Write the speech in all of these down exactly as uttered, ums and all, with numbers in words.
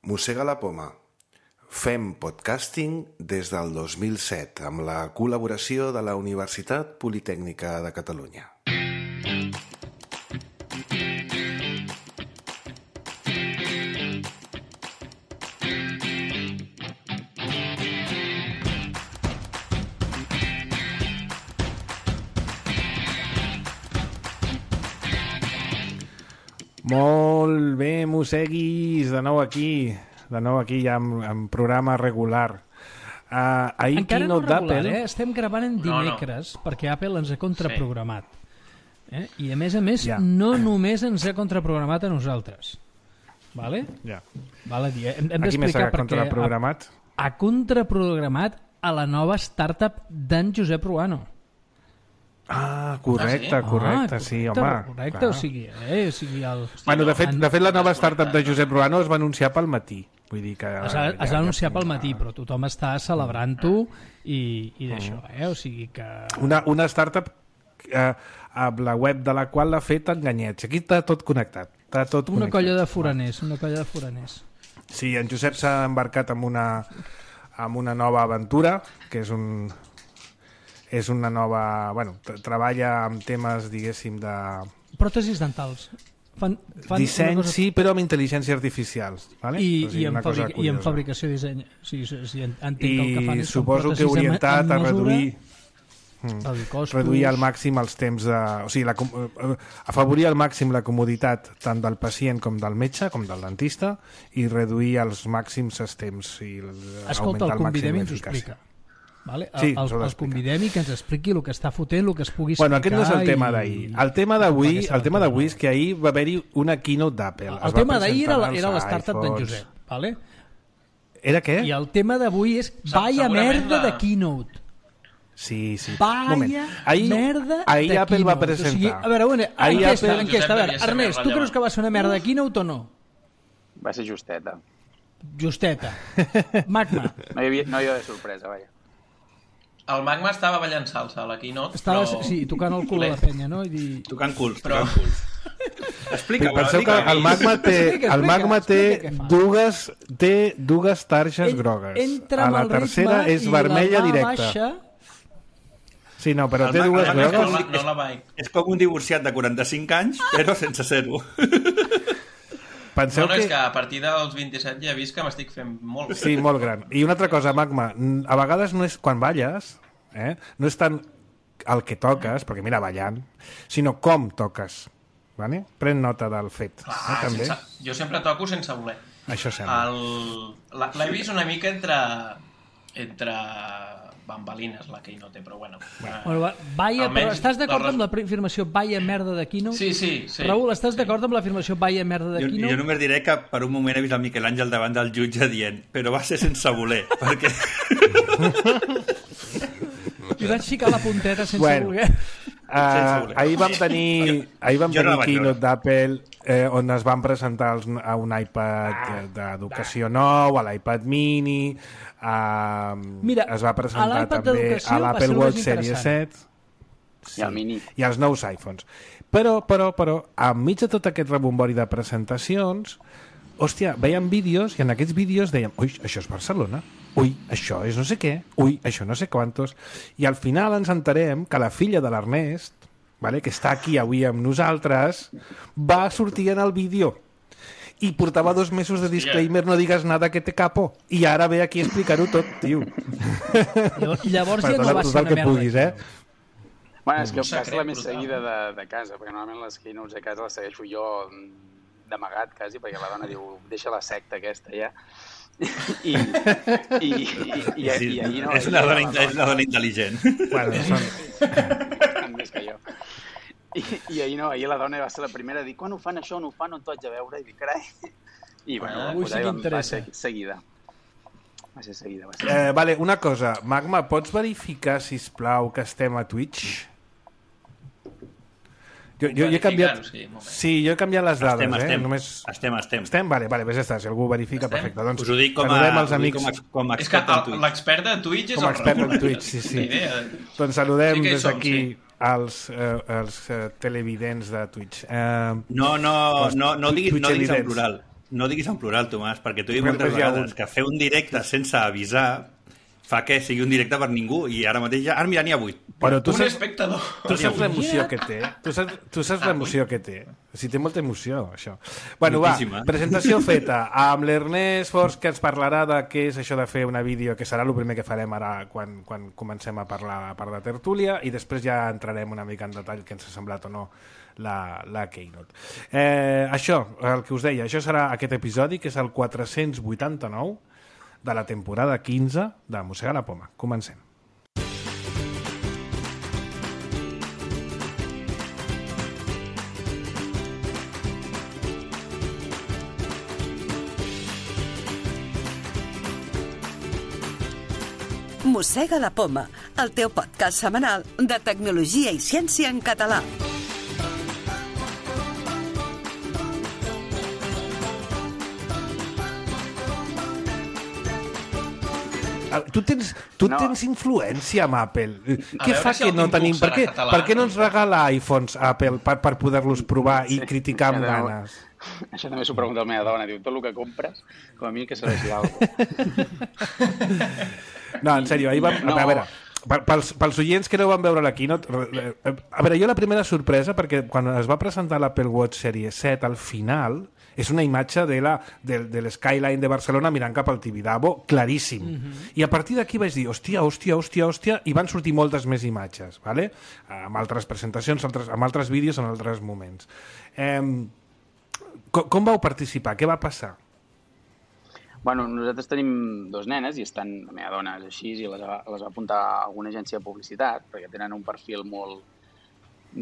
Mossega la poma. Fem podcasting des del dos mil set amb la col·laboració de la Universitat Politècnica de Catalunya. Molt bé, mosseguis, de nou aquí, de nou aquí ja amb, amb programa regular. Uh, ahir Encara no regular, eh? Estem gravant en dimecres, no, no. perquè Apple ens ha contraprogramat. Eh? I a més a més, ja. no només ens ha contraprogramat a nosaltres. Vale? Ja. Vale a dir, hem, hem Aquí més ha d'explicar perquè contraprogramat? Ha, ha contraprogramat a la nova startup d'en Josep Ruano. Ah, correcte, ah, sí? correcte, ah, sí, correcte, home. Correcte, clar. o sigui, eh, o sigui el... Bueno, de fet, de fet, la nova startup de Josep Ruano es va anunciar pel matí. Vull dir que... Es va, es va anunciar pel matí, però tothom està celebrant-ho i, i d'això, eh? O sigui que... Una, una startup eh, amb la web de la qual l'ha fet Enganyets. Aquí està tot connectat. Està tot una connectat. colla de foraners, una colla de foraners. Sí, en Josep s'ha embarcat amb una, amb una nova aventura, que és un... és una nova... Bueno, treballa amb temes, diguéssim, de... Pròtesis dentals. Fan, fan Disseny, cosa... sí, però amb intel·ligència artificial. Vale? I, o sigui, i, en fabric... I en fabricació i disseny. O sigui, o sigui, entenc I que el que fan és suposo que orientat a reduir... Hmm. reduir al màxim els temps de... O sigui, la, afavorir al màxim la comoditat tant del pacient com del metge, com del dentista, i reduir als màxims els temps i Escolta, augmentar el convidem i ens ho l'eficàcia. explica. Vale? Sí, el, el, el convidem i que ens expliqui el que està fotent, el que es pugui explicar. Bueno, aquest no és el tema d'ahir. El tema d'avui el tema d'avui és que ahir va haver-hi una keynote d'Apple. El, el tema d'ahir era, era l'startup d'en Josep. Vale? Era què? I el tema d'avui és vaya merda de keynote. Sí, sí. Vaya ahir, merda ahir de Apple keynote. va presentar. O sigui, a veure, una, ahir enquesta, Apple... enquesta. A veure, Ernest, tu creus que va ser una merda de keynote o no? Va ser justeta. Justeta. Magma. No hi havia, no hi havia sorpresa, vaja. El Magma estava ballant salsa a la keynote, estava, però... Sí, tocant el cul a la penya, no? I dir... Tocant culs, però... tocant culs. Explica, penseu que el Magma té, el Magma té dues, té dues targes grogues. A la tercera és vermella directa. Baixa... Sí, no, però el té dues grogues. No la, no la vaig. És com un divorciat de quaranta-cinc anys, però sense ser-ho. Penseu no, no, que... és que a partir dels vint-i-set ja he vist que m'estic fent molt gran. Sí, molt gran. I una altra cosa, Magma, a vegades no és quan balles, eh? no és tant el que toques, perquè mira, ballant, sinó com toques. Vale? Pren nota del fet. Clar, eh, també. Sense... Jo sempre toco sense voler. Això sembla. El... L'he vist una mica entre... entre bambalines, la Keynote, però bueno. bueno vaya, però estàs d'acord amb l'afirmació vaya merda de Keynote? Sí, sí. sí Raül, estàs d'acord amb l'afirmació vaya merda de jo, Keynote? Jo només diré que per un moment he vist el Miquel Àngel davant del jutge dient però va ser sense voler, perquè... I vaig ficar la punteta sense bueno, voler. Uh, ahir vam tenir, ahir vam tenir no keynote d'Apple eh, on es van presentar els, a un iPad d'educació nou, a l'iPad mini, uh, Mira, es va presentar també a l'Apple Watch Series set sí, i, i als nous iPhones. Però, però, però, enmig de tot aquest rebombori de presentacions, hòstia, veiem vídeos i en aquests vídeos dèiem, ui, això és Barcelona, ui, això és no sé què, ui, això no sé quantos, i al final ens enterem que la filla de l'Ernest, vale, que està aquí avui amb nosaltres, va sortir en el vídeo i portava dos mesos de disclaimer, no digues nada que te capo, i ara ve aquí a explicar-ho tot, tio. Llavors ja no va ser una merda. Puguis, eh? Bueno, és que és la més seguida de, de casa, perquè normalment les keynotes de casa les segueixo jo d'amagat, quasi, perquè la dona diu, deixa la secta aquesta, ja. I, i, i, i, sí, i ahir no... És una dona, és una dona intel·ligent. Bueno, són... més que jo. I, I ahir no, ahir la dona va ser la primera a dir, quan ho fan això, on ho fan, on t'ho haig de veure? I dic, carai... I bueno, ah, pues, sí va, va ser seguida. Va ser seguida, va ser seguida. Eh, vale, una cosa, Magma, pots verificar, sisplau, que estem a Twitch? Jo, jo, jo he canviat... Sí, sí, jo he canviat les dades, estem, eh? estem, Només... estem, estem. Estem? Vale, vale, pues ja està, si algú verifica, estem? Perfecte. Doncs us ho dic com a, els amics. com a, com a és que l'expert de Twitch és com el expert Raül. en Twitch, sí, sí. Doncs saludem sí des d'aquí sí. els, eh, els eh, televidents de Twitch. Eh, no, no, no, no, diguis, no diguis en plural. No diguis en plural, Tomàs, perquè t'ho he dit moltes vegades, que fer un directe sense avisar fa que sigui un directe per ningú, i ara mateix ja... Ara, mira, n'hi ha vuit. Però tu un saps, espectador. tu saps l'emoció que té. Tu saps, tu saps l'emoció que té. O sigui, té molta emoció, això. Bueno, Moltíssima. va, presentació feta. Amb l'Ernest Fors, que ens parlarà de què és això de fer una vídeo, que serà el primer que farem ara quan, quan comencem a parlar a part de tertúlia, i després ja entrarem una mica en detall que ens ha semblat o no la, la Keynote. Eh, això, el que us deia, això serà aquest episodi, que és el quatre-cents vuitanta-nou de la temporada quinze de Mossega la Poma. Comencem. Mossega la Poma, el teu podcast setmanal de tecnologia i ciència en català. Tu tens, tu No. tens influència amb Apple. Què veure fa si que el no Tim tenim... Cook Per serà què, català, per què no ens no? regala iPhones Apple per, per poder-los provar i criticar amb això també- ganes? Això també s'ho pregunta la meva dona. Diu, tot el que compres, com a mi que serveixi d'alguna cosa. No, en sèrio, ahir vam... No. A veure, per- pels, pels oients que no van veure la keynote... re- re- A veure, jo la primera sorpresa, perquè quan es va presentar l'Apple Watch Series set, al final és una imatge de la, de, de l'Skyline de Barcelona mirant cap al Tibidabo, claríssim. Mm-hmm. I a partir d'aquí vaig dir, hòstia, hòstia, hòstia, hòstia, i van sortir moltes més imatges, ¿vale? Amb altres presentacions, altres, amb altres vídeos en altres moments. Eh, com, com vau participar? Què va passar? Bueno, nosaltres tenim dos nenes i estan, la meva dona és així i les va, les va apuntar a alguna agència de publicitat perquè tenen un perfil molt...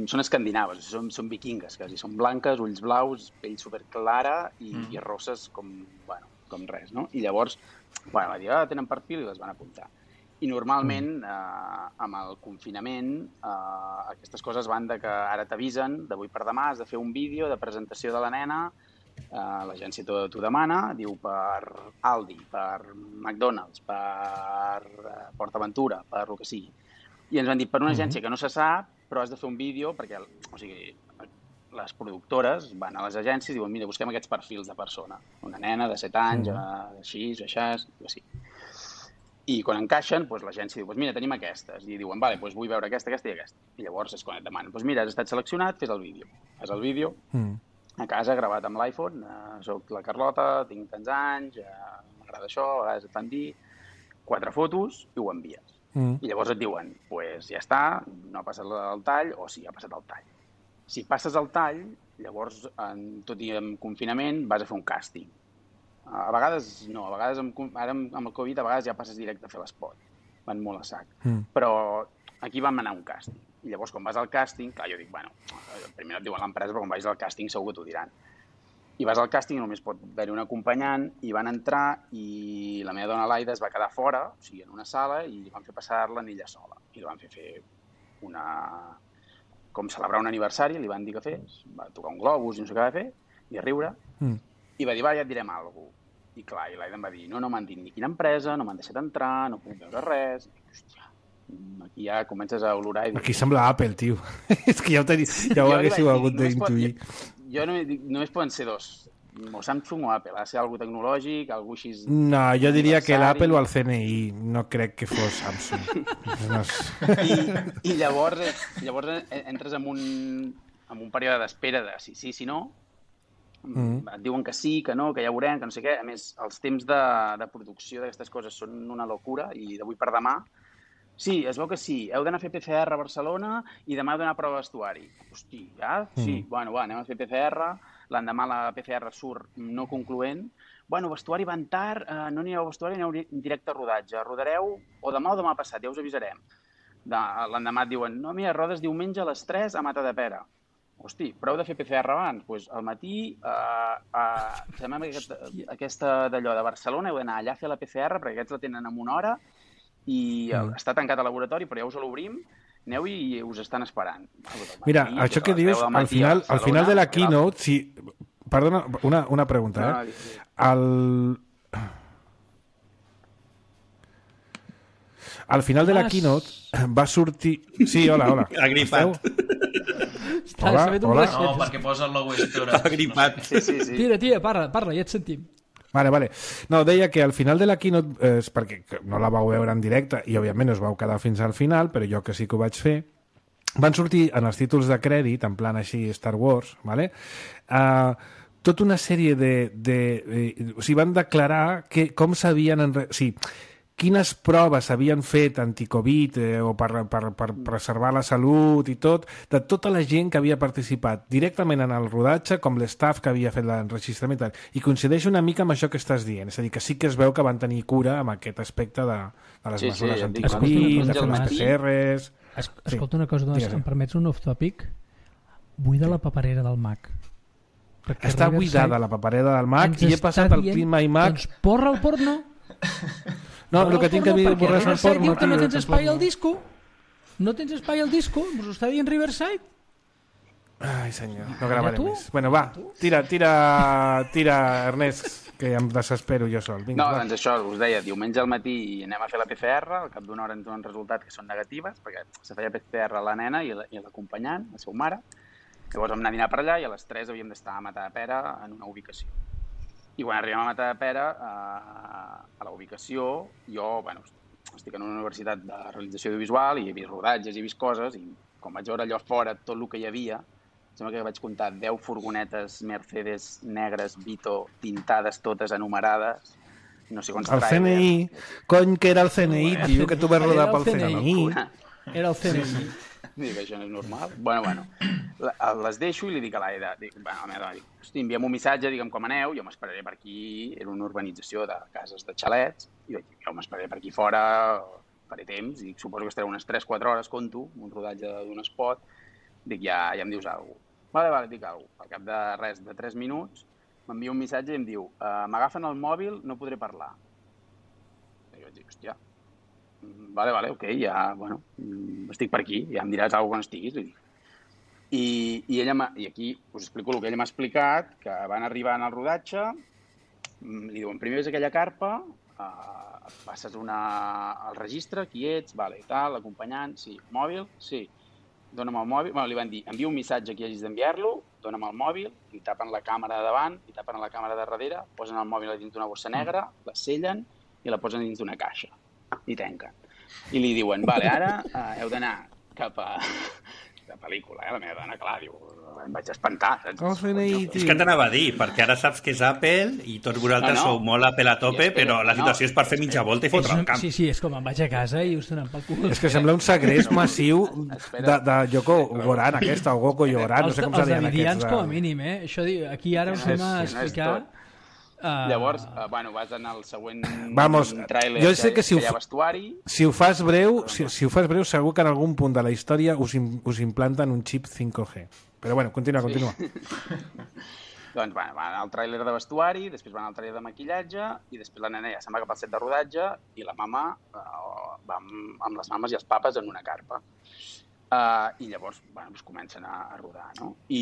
Són escandinaves, són, són vikingues quasi, són blanques, ulls blaus, pell superclara i, mm. i rosses com, bueno, com res, no? I llavors, bueno, va dir, ah, tenen perfil i les van apuntar. I normalment, mm. eh, amb el confinament, eh, aquestes coses van de que ara t'avisen, d'avui per demà has de fer un vídeo de presentació de la nena, Uh, l'agència t'ho demana, diu per Aldi, per McDonald's, per uh, PortAventura, per el que sigui. I ens van dir, per una agència que no se sap, però has de fer un vídeo, perquè o sigui, les productores van a les agències i diuen, mira, busquem aquests perfils de persona. Una nena de set anys, uh, així, així, així. I quan encaixen, doncs, l'agència diu, doncs mira, tenim aquestes. I diuen, vale, doncs vull veure aquesta, aquesta i aquesta. I llavors és quan et demanen, doncs mira, has estat seleccionat, fes el vídeo. Fes el vídeo, mm. a casa, gravat amb l'iPhone, eh, soc la Carlota, tinc tants anys, eh, m'agrada això, a vegades et fan dir, quatre fotos i ho envies. Mm. I llavors et diuen, doncs pues ja està, no ha passat el tall, o sí, ha passat el tall. Si passes el tall, llavors, en, tot i en confinament, vas a fer un càsting. A vegades no, a vegades amb, ara amb el Covid a vegades ja passes directe a fer l'espot. Van molt a sac. Mm. Però aquí vam anar a un càsting. I llavors, quan vas al càsting, clar, jo dic, bueno, primer no et diuen l'empresa, però quan vagis al càsting segur que t'ho diran. I vas al càsting i només pot haver-hi un acompanyant, i van entrar i la meva dona Laida es va quedar fora, o sigui, en una sala, i li van fer passar-la en ella sola. I li van fer fer una... com celebrar un aniversari, li van dir que fes, va tocar un globus i no sé què va fer, i a riure, mm. i va dir, va, ja et direm alguna cosa. I clar, i l'Aida em va dir, no, no m'han dit ni quina empresa, no m'han deixat entrar, no puc veure res. I, hòstia, aquí ja comences a olorar i dir... Aquí sembla Apple, tio. És que ja ho, teni... ja ho haguéssiu hagut d'intuir. Jo, jo només, només poden ser dos, o Samsung o Apple. Ha de ser algú tecnològic, algú així... No, jo diria que l'Apple o el C N I. No crec que fos Samsung. No I, I llavors, llavors entres en un, en un període d'espera de si sí, si no. Mm. Et diuen que sí, que no, que ja veurem, que no sé què. A més, els temps de, de producció d'aquestes coses són una locura i d'avui per demà sí, es veu que sí, heu d'anar a fer P C R a Barcelona i demà heu d'anar a prova de vestuari. Hosti, ja? Sí, mm. bueno, va, anem a fer P C R, l'endemà la P C R surt no concloent. Bueno, vestuari van tard, eh, no anireu a vestuari, aneu directe a rodatge. Rodareu o demà o demà passat, ja us avisarem. De, l'endemà et diuen, no, mira, rodes diumenge a les tres a Matadepera. Hosti, prou de fer P C R abans. Doncs pues, al matí, eh, eh, fem aquest, aquesta d'allò de Barcelona, heu d'anar allà a fer la P C R, perquè aquests la tenen en una hora, i mm. està tancat al laboratori, però ja us l'obrim, aneu i us estan esperant. Mira, matí, això que dius, al final, al final de la keynote, si... Perdona, una, una pregunta, eh? No, no, sí. El... al final de la keynote va sortir... Sí, hola, hola. Agripat. Hola, hola. No, perquè posa el logo Store. Agripat. Sí, sí, sí. Tira, tira, parla, parla, ja et sentim. Vale, vale. No, deia que al final de la keynote, eh, perquè no la vau veure en directe i òbviament us vau quedar fins al final, però jo que sí que ho vaig fer, van sortir en els títols de crèdit, en plan així Star Wars, vale? Uh, tota una sèrie de... de eh, o sigui, van declarar que, com s'havien... Enre... O sigui, quines proves s'havien fet anticovid eh, o per, per, per preservar la salut i tot, de tota la gent que havia participat directament en el rodatge, com l'estaf que havia fet l'enregistrament, i coincideix una mica amb això que estàs dient, és a dir, que sí que es veu que van tenir cura amb aquest aspecte de, de les Sí, mesures sí, anticovid, de fer les matí- P C Rs... Es, escolta una cosa, doncs, Digues. em permets un off-topic? Buida la paperera del Mac. Perquè Està Riverside buidada la paperera del Mac ens i he està passat el dient, Clean My Mac... Doncs porra el porno. No, Porra el que el tinc que porno, dir perquè borrar és el Riverside porno. diu que no tio, tens espai tampoc al disco. No tens espai al disco. Us ho està dient Riverside. Ai, senyor, no gravarem tu? més. Bueno, va, tira, tira, tira, Ernest, que em desespero jo sol. Vinga, No, va. doncs això, us deia, diumenge al matí anem a fer la P C R, al cap d'una hora ens donen resultats que són negatives, perquè se feia P C R a la nena i la- i l'acompanyant, la seva mare. Llavors vam anar a dinar per allà i a les tres havíem d'estar a Matadepera en una ubicació. I quan arribem a Matadepera, a, a la ubicació, jo, bueno, estic en una universitat de realització audiovisual i he vist rodatges, he vist coses, i quan vaig veure allò fora, tot el que hi havia, sembla que vaig comptar deu furgonetes Mercedes negres Vito tintades totes enumerades, no sé quants El C N I, cony que era el C N I, tio, que tu vas rodar Era el pel C N I. Era el C N I. Dic, això no és normal. Bueno, bueno, la- les deixo i li dic a l'Aida, dic, bueno, a la meva dona, dic, hosti, envia'm un missatge, digue'm com aneu, jo m'esperaré per aquí, era una urbanització de cases de xalets, i vaig dir, jo m'esperaré per aquí fora, faré temps, i dic, suposo que estaré unes tres quatre hores, conto, un rodatge d'un spot, dic, ja, ja em dius alguna cosa. Vale, vale, dic alguna cosa. Al cap de res, de tres minuts, m'envia un missatge i em diu, uh, m'agafen el mòbil, no podré parlar. I jo vaig dir, hòstia, vale, vale, ok, ja, bueno, estic per aquí, ja em diràs alguna cosa quan estiguis, li dic. I, i, ella m'ha- I aquí us explico el que ella m'ha explicat, que van arribar en el rodatge, li diuen, primer ves aquella carpa, uh, passes una, al registre, qui ets, vale, i tal, l'acompanyant, sí, mòbil, sí, dona'm el mòbil, bueno, li van dir, envia un missatge que hagis d'enviar-lo, dona'm el mòbil, li tapen la càmera de davant, li tapen la càmera de darrere, posen el mòbil a dins d'una bossa negra, la sellen i la posen dins d'una caixa i tanquen. I li diuen, vale, ara uh, heu d'anar cap a de pel·lícula, eh? La meva dona, clar, diu, em vaig espantar, saps? El C N I, És que t'anava a dir, perquè ara saps que és Apple i tots vosaltres No, no. sou molt Apple a tope, I espera, però la no, situació és per fer mitja volta i fotre el camp. Sí, sí, és com em vaig a casa i us donen pel cul. És que sembla un segrest massiu de, Espera. de Yoko Goran, aquesta, o Goko Yoran, no Els, sé com els se deien davidians, aquests. com a de- mínim, eh? Això, diu, aquí ara us No anem a és- no és explicar... tot. Uh, Llavors, uh, bueno, vas anar al següent Vamos, tràiler jo sé que si ho hi ha fa- vestuari. Si ho fas breu, si, si ho fas breu, segur que en algun punt de la història us, im- us implanten un xip cinc G. Però bueno, continua, continua. Doncs bueno, van al tràiler de vestuari, després van al tràiler de maquillatge i després la nena ja se'n va cap al set de rodatge i la mama uh, va amb, amb les mames i els papes en una carpa. Uh, I llavors, bueno, doncs comencen a, a rodar, no? I,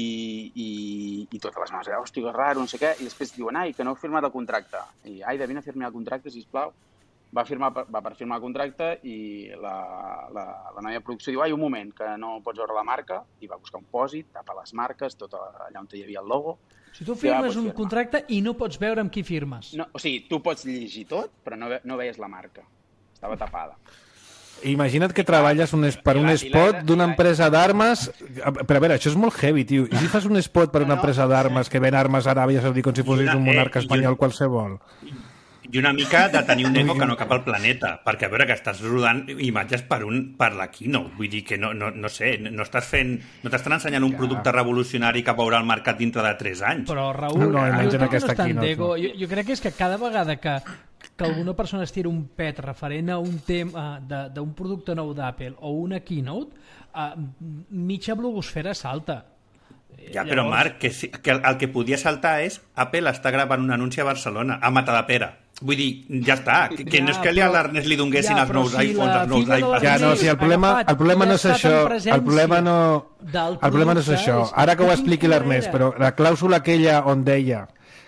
i, i totes les mames, hòstia, que raro, no sé què, i després diuen, ai, que no heu firmat el contracte. I, ai, vine a firmar el contracte, sisplau. Va, firmar, va per firmar el contracte i la, la, la noia de producció diu, ai, un moment, que no pots veure la marca, i va buscar un pòsit, tapa les marques, tot allà on hi havia el logo. si tu Ja firmes pots un firmar. contracte i no pots veure amb qui firmes. No, o sigui, tu pots llegir tot, però no, ve- no veies la marca. Estava tapada. Imagina't que treballes un, es- per I un la- i spot la- d'una i la- empresa d'armes... Però a veure, això és molt heavy, tio. I si fas un spot per una No, no. empresa d'armes que ven armes a Aràbia Saudita com si fossis una- un monarca eh, i espanyol un- qualsevol? I una mica de tenir un ego que no cap al planeta, perquè a veure que estàs rodant imatges per, un, per la keynote, vull dir que no, no, no sé, no estàs fent, no t'estan ensenyant un producte revolucionari que veurà el mercat dintre de tres anys. Però, Raül, No, no, jo imagina crec que aquesta no és tant keynote, d'ego. no. Jo, jo crec que és que cada vegada que, que alguna persona es tira un pet referent a un tema de- d'un producte nou d'Apple o una keynote, uh, mitja blogosfera salta. Ja, però Marc, que, sí- que el, el que podia saltar és Apple està gravant un anunci a Barcelona, a Matadepera. Vull dir, ja està, que, que Ja, no és que però- a l'Ernest li donguessin ja, els però nous si iPhones, la els nous Fira de iPads... Ja, no, si el problema, el problema no és això. El problema no, el problema no és això. Ara que ho expliqui l'Ernest, però la clàusula aquella on deia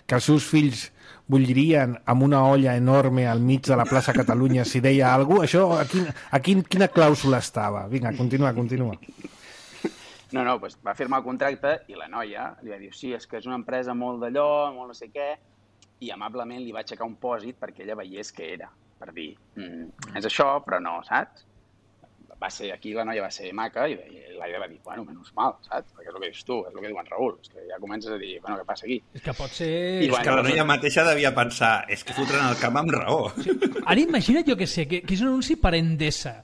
que els seus fills bullirien amb una olla enorme al mig de la plaça Catalunya si deia alguna cosa? Això, a, quin, a quin, quina clàusula estava? Vinga, continua, continua. No, no, doncs va firmar el contracte i la noia li va dir, sí, és que és una empresa molt d'allò, molt no sé què, i amablement li va aixecar un pòsit perquè ella veiés què era, per dir, mm, és això, però no, saps? Va ser, aquí la noia va ser maca i l'Aida va dir, bueno, menys mal, saps? Perquè és el que dius tu, és el que diu en Raül, és que ja comences a dir, bueno, què passa aquí? És que pot ser... I, és que la noia mateixa devia pensar, és que fotran el camp amb raó. Sí. Ara imagina't, jo què sé, que, que és un anunci per Endesa.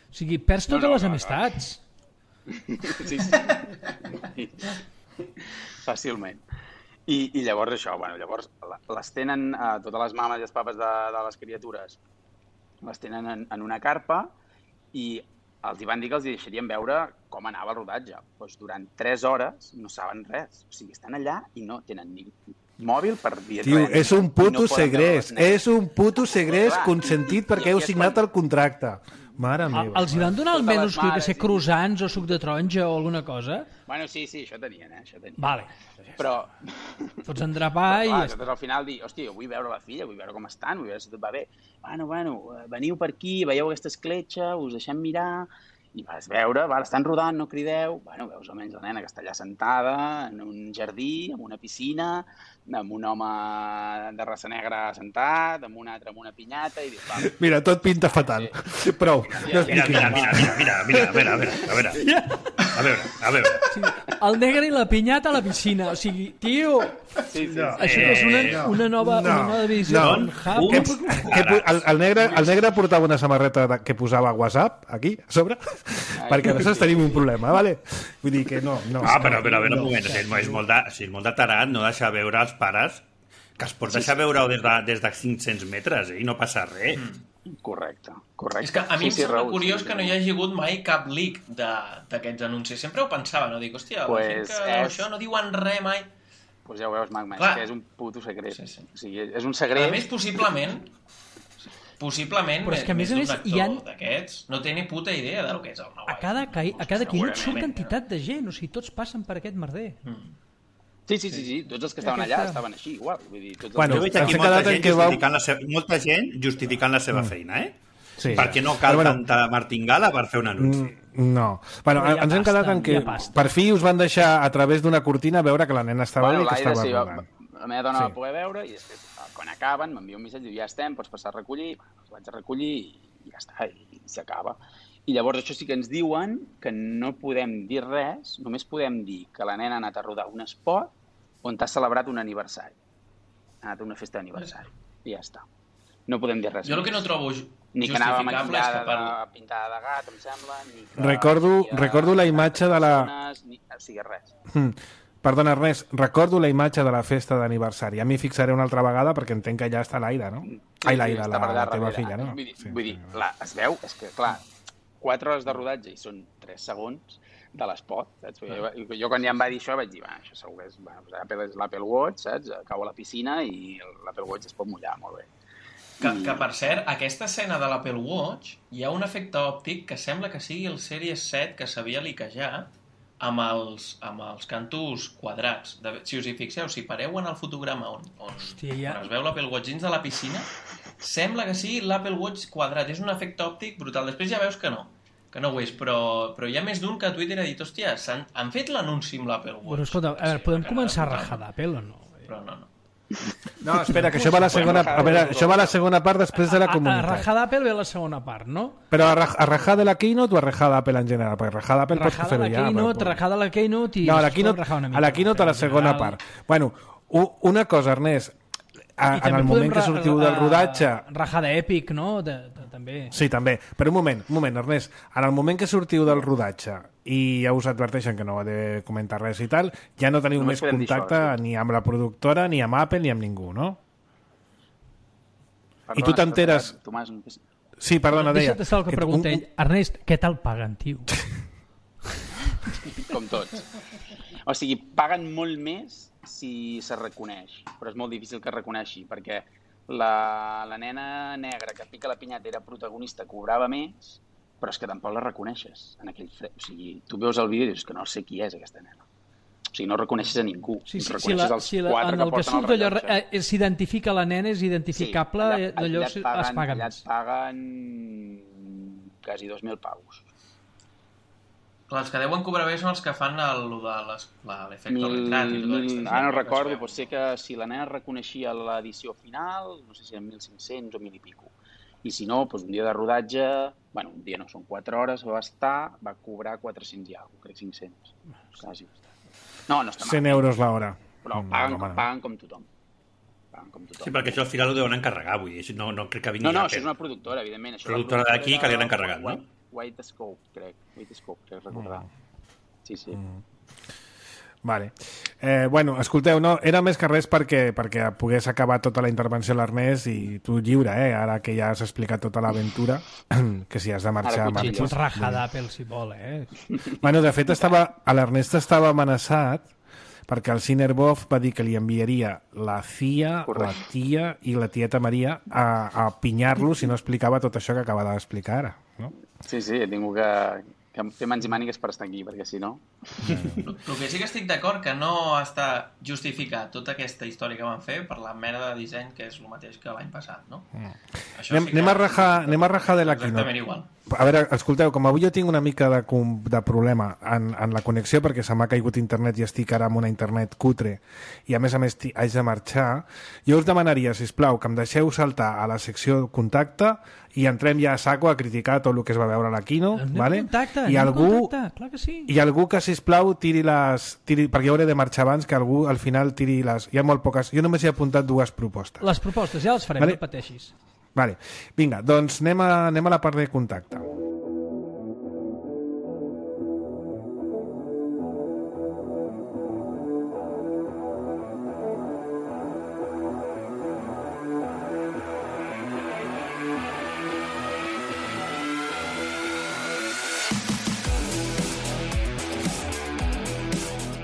O sigui, perds totes no, no, les no, amistats. No. Sí, sí. Fàcilment. I, I llavors això, bueno, llavors les tenen, eh, totes les mames i els papes de, de les criatures, les tenen en, en una carpa i els hi van dir que els deixarien veure com anava el rodatge. Doncs durant tres hores no saben res. O sigui, estan allà i no tenen ni mòbil per dir Tio, res. és un puto no segrest. És un puto segrest consentit perquè heu signat el contracte. Mare meva. Els hi van donar almenys, jo que sé, croissants o suc de taronja o alguna cosa? Bueno, sí, sí, això tenien, eh? Això tenien. Vale. Però... Fots endrapar i... Clar, al final dir, hòstia, vull veure la filla, vull veure com estan, vull veure si tot va bé. Bueno, bueno, veniu per aquí, veieu aquesta escletxa, us deixem mirar... I vas veure, val, estan rodant, no crideu... Bueno, veus almenys la nena que està allà sentada en un jardí, en una piscina, amb un home de raça negra sentat, amb un altre amb una pinyata, i dius, vale. Mira, tot pinta fatal. Sí. Prou. Mira, mira, mira, mira, mira, mira, a veure, a veure, a veure. A veure, a veure. Sí, el negre i la pinyata a la piscina. O sigui, tio... Sí, sí, no. Això que és una, una, nova, no. una nova visió. No. Que, que, el, el, negre, el negre portava una samarreta de, que posava WhatsApp, aquí, a sobre, Ai, perquè nosaltres tenim un problema, vale? Vull dir que no... no ah, però, però a veure, un moment, no, és, és, molt de, és molt de tarat no deixar veure els pares que es pot deixar veure des de, des de cinc-cents metres, eh, i no passa res. Mm. Correcte, correcte. És que a mi sí, em sembla sí, curiós sí, que no hi hagi hagut mai cap leak d'aquests anuncis. Sempre ho pensava, no? Dic, hòstia, pues la gent que és... això no diuen res mai. Doncs pues ja ho veus, Magma, Clar. És que és un puto secret. Sí, sí. O sigui, és un secret... A més, possiblement, possiblement, però és que a més, més, més més d'un hi actor ha... d'aquests no té ni puta idea del que és el nou A cada, iPhone. a cada quinut surt Segurament. quantitat de gent, o sigui, tots passen per aquest merder. Mm. Sí, sí, sí, sí, tots els que estaven allà estaven així, igual. Vull dir, tots els... Bueno, jo veig aquí ens molta quedat en gent, que vau- justificant la seva, molta gent justificant la seva feina, eh? Sí. Perquè no cal Però bueno, tanta martingala per fer un anunci. Mm, No. Bueno, Però ja ens hem basta, quedat en que ja basta. per fi us van deixar a través d'una cortina veure que la nena estava Bueno, bé i que l'Aire estava sí, va, rodant. la meva dona Sí. va poder veure i després, quan acaben, m'envia un missatge, diu, ja estem, pots passar a recollir, bueno, els vaig a recollir i, i ja està, i, i s'acaba. I llavors això sí que ens diuen que no podem dir res, només podem dir que la nena ha anat a rodar un espot on t'ha celebrat un aniversari. Ha anat a una festa d'aniversari. I ja està. No podem dir res Jo el que més. no trobo Ni que anava justificable és que maquillada, per... de, pintada de gat, em sembla, ni que... Recordo- havia recordo la imatge de la- persones, Ni... O sigui, res. Mm. Perdona, Ernest, recordo la imatge de la festa d'aniversari. Ja m'hi fixaré una altra vegada perquè entenc que ja està l'Aida, no? Ai, l'Aida, està la, per allà la teva darrere. filla, no? Vull dir, Sí, vull dir sí. clar, es veu, és que, clar, quatre hores de rodatge i són tres segons de l'espot, saps? Jo, jo quan ja em va dir això vaig dir, va, això segur que és, bueno, Apple és l'Apple Watch, saps? Cau a la piscina i l'Apple Watch es pot mullar, molt bé. Que, que, per cert, aquesta escena de l'Apple Watch hi ha un efecte òptic que sembla que sigui el Series set que sabia liquejar amb els, amb els cantos quadrats. De, si us hi fixeu, si pareu en el fotograma on, on, Hòstia, ja. on es veu l'Apple Watch dins de la piscina, sembla que sigui l'Apple Watch quadrat. És un efecte òptic brutal. Després ja veus que no, que no ho és, però, però hi ha més d'un que a Twitter ha dit, hòstia, han, han fet l'anunci amb l'Apple Watch. Bueno, escolta, a veure, Sí, podem una començar a cara rajar d'Apple o no? Però no, no. No, espera, que això va a la segona, a veure, això va a la segona part després de la A, a comunitat. rajar d'Apple ve la segona part, no? Però a, raj- a rajar de la Keynote o a rajar d'Apple en general? Perquè rajar d'Apple pots Rajada fer-ho la ja. Keynote, però- rajada la Keynote i... No, a la després podem Keynote, rajar una a mica, la, keynote a la però en segona general- part. Bueno, u- una cosa, Ernest, a, I en també el podem moment que ra- sortiu del ra- rodatge... Rajada èpic, no? De, de, també. Sí, també. Però un moment, un moment, Ernest. En el moment que sortiu del rodatge i ja us adverteixen que no heu de comentar res i tal, ja no teniu Només més podem dir contacte això, sí. ni amb la productora, ni amb Apple, ni amb ningú, no? Perdona, I tu t'enteres- Tomàs, un... Sí, perdona, deia... Deixa't estar el que que pregunta un- ell. Ernest, què tal paguen, tio? com tots. O sigui, paguen molt més si se reconeix, però és molt difícil que es reconeixi, perquè la, la nena negra que pica la pinyata era protagonista, cobrava més, però és que tampoc la reconeixes en aquell fre... O sigui, tu veus el vídeo i dius que no sé qui és aquesta nena. O sigui, no reconeixes a ningú. Sí, sí, reconeixes si la, els si la, quatre en que el que porten surt el allò, rellotge. eh, s'identifica la nena, és identificable, Sí, allà, allò allà es et paguen, paga allà més. et paguen quasi dos mil paus. Clar, els que deuen cobrar bé són els que fan el, lo de les- la- l'efecte Mil, retrat i tota mil, aquesta gent, ara no que es recordo, veu. pot ser que si la nena reconeixia l'edició final, no sé si eren mil cinc-cents o mil i pico. I si no, doncs un dia de rodatge, bueno, un dia no, són quatre hores, va estar, va cobrar quatre-cents i alguna cosa, crec cinc-cents. Quasi. No, no està cent mal. euros l'hora. Però Mm, paguen, home, no. paguen com tothom. Paguen com tothom. Sí, perquè això al final ho deuen encarregar, vull dir, no, no crec que vingui No, no, Apple. això és una productora, evidentment. Això Productora la d'aquí que li han encarregat, no? White, White Scope, crec. White Scope, crec recordar. Sí, sí. Mm. Vale. Eh, bueno, escolteu, no, era més que res perquè, perquè pogués acabar tota la intervenció a l'Ernest i tu lliure, eh? Ara que ja has explicat tota l'aventura, que si has de marxar, Ara cuchillo. Pot marxes. rajar d'Apple si vol, eh? Bueno, de fet, estava, a l'Ernest estava amenaçat perquè el Cinerbov va dir que li enviaria la C I A, Correcte. la tia i la tieta Maria a, a pinyar-lo si no explicava tot això que acaba d'explicar ara. No? Sí, sí, he tingut que, que fer mans i mànigues per estar aquí, perquè si no... El que sí que estic d'acord que no està justificat tota aquesta història que van fer per la mena de disseny que és el mateix que l'any passat, no? Això Anem, sí que anem, a rajar, anem a rajar de la exactament Keynote. igual. A veure, escolteu, com avui jo tinc una mica de, com- de problema en, en la connexió perquè se m'ha caigut internet i estic ara amb una internet cutre i a més a més ti- haig de marxar, jo us demanaria, sisplau, que em deixeu saltar a la secció contacte i entrem ja a saco a criticar tot el que es va veure a la Keynote, Anem vale? en contacte, I anem en algú, contacte, clar que sí. i algú que, sisplau, tiri les... Tiri, perquè jo hauré de marxar abans, que algú al final tiri les... Hi ha molt poques... Jo només he apuntat dues propostes. Les propostes ja les farem, Vale. no pateixis. Vale. Vinga, doncs anem a, anem a la part de contacte.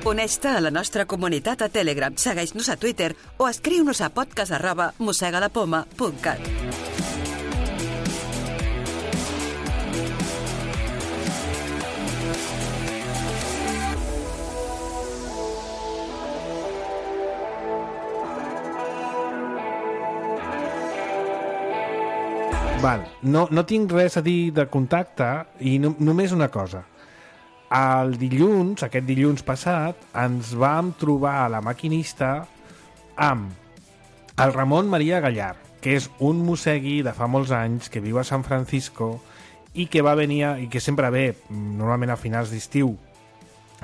Uneix-te a la nostra comunitat a Telegram, segueix-nos a Twitter o escriu-nos a podcast arroba mossegalapoma punt cat. Val. No, no tinc res a dir de contacte i no, només una cosa. El dilluns, aquest dilluns passat, ens vam trobar a la maquinista amb el Ramon Maria Gallar, que és un mossegui de fa molts anys que viu a San Francisco i que va venir a, i que sempre ve normalment a finals d'estiu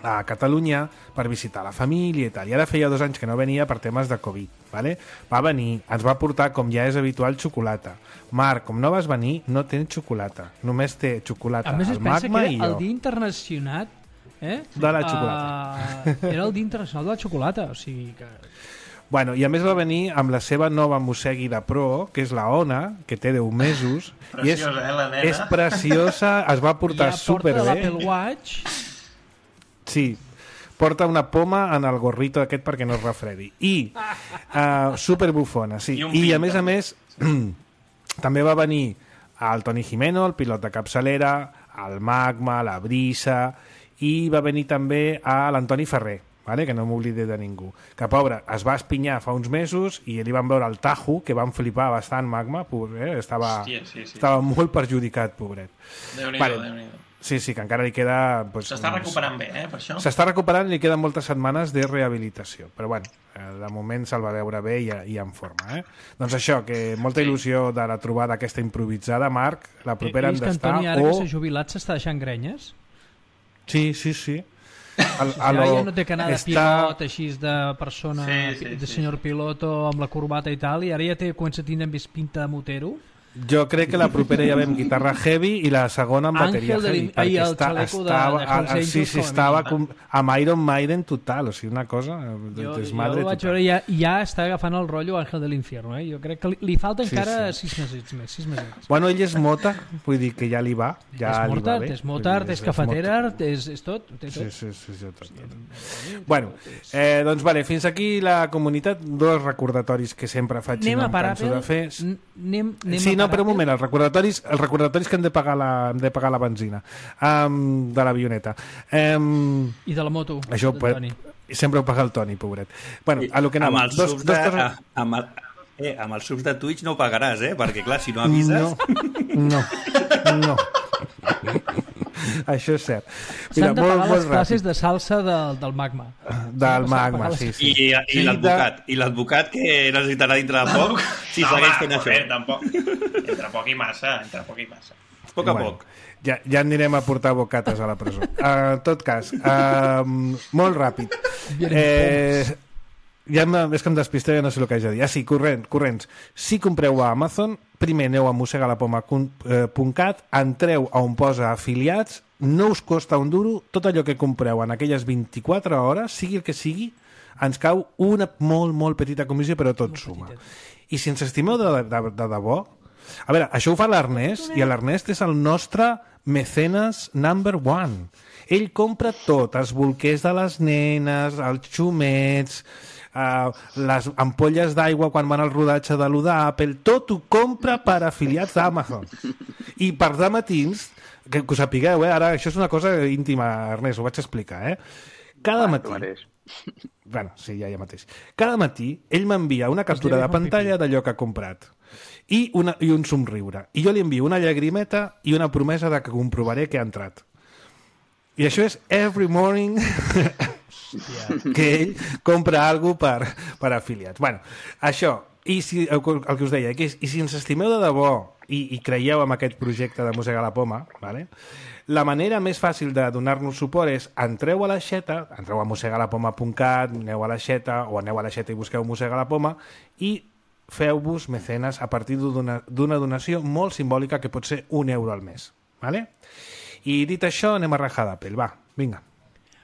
a Catalunya per visitar la família i tal. I ara feia dos anys que no venia per temes de Covid. Vale? Va venir, ens va portar, com ja és habitual, xocolata. Marc, com no vas venir, no tens xocolata. Només té xocolata A més, es el pensa Magma que i era el jo. dia internacional eh? De la xocolata. Uh, era el dia internacional de la xocolata, o sigui que... Bueno, i a més va venir amb la seva nova mossegui de pro, que és la Ona, que té deu mesos. i és, Preciosa, eh, la nena? és preciosa, es va portar ja porta superbé. l'Apple Watch. Sí, porta una poma en el gorrito aquest perquè no es refredi. I uh, superbufona, sí. I un I, a pin, més a també. més, també va venir el Toni Jimeno, el pilot de capçalera, el Magma, la Brisa, i va venir també a l'Antoni Ferrer, vale? Que no m'oblide de ningú. Que, pobre, es va espinyar fa uns mesos i li van veure el Tajo, que van flipar bastant, Magma, pobre, eh? estava, Hòstia, sí, sí. estava molt perjudicat, pobret. Déu-n'hi-do, Vale. Déu-n'hi-do. Sí, sí, que encara li queda... Pues, S'està uns- recuperant bé, eh, per això. S'està recuperant i li queden moltes setmanes de rehabilitació. Però bueno, eh, de moment se'l va veure bé i, i en forma. Eh? Doncs això, que molta il·lusió de la trobada aquesta improvisada, Marc. La propera He hem vist que d'estar... Antoni, ara o... que s'ha jubilat, s'està deixant grenyes. Sí, sí, sí. El, Ja, lo- ja no té que anar de està- pilot, així de persona, Sí, sí, de sí, senyor piloto amb la corbata i tal, i ara ja té, comença a tindre més pinta de motero. Jo crec que la propera ja vam guitarra heavy i la segona amb bateria Àngel de heavy. l'Im- ai, el està- xaleco de- estava, de Hells ah, sí, Angels sí, com a estava mínim. com, amb Iron Maiden total, o sigui, una cosa de Jo, jo desmadre el vaig total. veure, ja, ja està agafant el rotllo Àngel de l'Infierno. Eh? Jo crec que li, li falta Sí, encara sí. sis mesos més. Sis mesos. Bueno, ell és mota, vull dir que ja li va. Ja és li va Mortart, bé. és Motart, Vull dir, és cafetera, Mozart. és, és tot. Ho té tot. Sí, sí, sí, sí, tot, tot. Bueno, eh, doncs vale, fins aquí la comunitat, dos recordatoris que sempre faig i Anem no a em per canso Apple. de fer. N- Anem, anem Sí, a no, però un moment, els recordatoris, els recordatoris que hem de pagar la, hem de pagar la benzina um, de l'avioneta. Um, I de la moto, això, del Toni. Sempre ho paga el Toni, pobret. Bueno, a lo que anava. Amb els dos, subs dos de, coses... amb, el, eh, amb els subs de Twitch no ho pagaràs, eh? Perquè, clar, si no avises... No, no. no. Això és cert. S'han de pagar les classes de salsa del, del magma. Del magma, sí, sí. I, i sí, l'advocat, de... i l'advocat que necessitarà dintre de poc si no, segueix home, fent això. Bé, tampoc. Entre poc i massa, entre poc i massa. A poc a bueno, poc. Ja, ja anirem a portar bocates a la presó. Uh, en tot cas, uh, molt ràpid. Eh, ja em, és que em despiste, ja no sé el que haig de dir. Ah, sí, corrent, corrents. Si compreu a Amazon, primer aneu a mossega la poma punt cat, entreu a on posa afiliats, no us costa un duro, tot allò que compreu en aquelles vint-i-quatre hores, sigui el que sigui, ens cau una molt, molt petita comissió, però tot suma. I si ens estimeu de, de, de, de debò, a veure, això ho fa l'Ernest, i l'Ernest és el nostre mecenes number one. Ell compra tot, els bolquers de les nenes, els xumets, uh, les ampolles d'aigua quan van al rodatge de l'U d'Apple, tot ho compra per afiliats d'Amazon. I per de matins, que, que ho sapigueu, eh? Ara això és una cosa íntima, Ernest, ho vaig explicar, eh? Cada Ah, matí... tu mateix. Bueno, sí, ja, ja mateix. Cada matí ell m'envia una captura de pantalla d'allò que ha comprat i, una, i un somriure. I jo li envio una llagrimeta i una promesa de que comprovaré que ha entrat. I això és every morning que ell compra alguna cosa per, per afiliats. Bueno, això, i si, el, el que us deia, que és, i si ens estimeu de debò i, i creieu en aquest projecte de Mossegar la Poma, vale? La manera més fàcil de donar-nos suport és entreu a l'aixeta, entreu a mossegar la poma punt cat, aneu a l'aixeta o aneu a l'aixeta i busqueu Mossegar la Poma i feu-vos mecenes a partir d'una donació molt simbòlica que pot ser un euro al mes. Vale? I dit això, anem a rajar d'Apple. Va, vinga.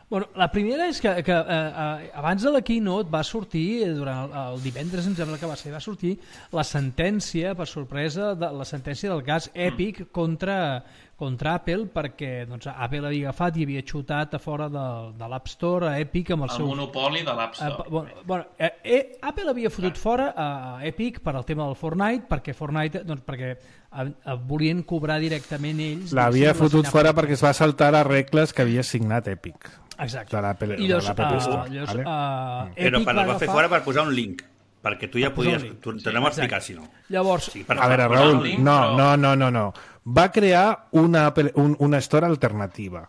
Bueno, la primera és que, que eh, abans de la keynote va sortir, durant el, el divendres em sembla que va ser, va sortir la sentència, per sorpresa, de, la sentència del cas Epic contra, contra Apple, perquè doncs, Apple havia agafat i havia xutat a fora de, de l'App Store a Epic amb el, El seu... monopoli de l'App Store. Uh, bueno, bueno, eh, eh, Apple havia fotut fora a Epic per al tema del Fortnite, perquè Fortnite, doncs perquè eh, volien cobrar directament ells. L'havia fotut fora per... perquè es va saltar les regles que havia signat Epic. Exacte. De l'Apple I llavors, uh, Store, llavors vale? uh, Però Epic per, va va fer agafar... fora per posar un link, perquè tu ja Per posar podies... un link. Tu, t'anem a explicar, si no. Llavors, Sí, per A veure, favor. Raül, link, no, però- no, no, no, no. Va crear una, Apple- un, una store alternativa.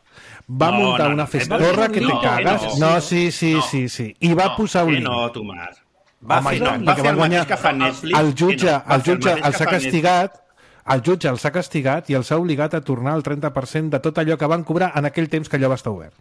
Va No, muntar no, una no, festorra no, que te no, cagas. no. No, sí, sí, No. sí, sí. I va No, posar un Que link. no, Tomàs. Va Home, fer, i no, tant, va perquè fer va el guanyar- mateix que fa Netflix. El jutge, que no, va el fer jutge mateix els que ha fa castigat, el jutge els ha castigat i els ha obligat a tornar el trenta per cent de tot allò que van cobrar en aquell temps que allò va estar obert.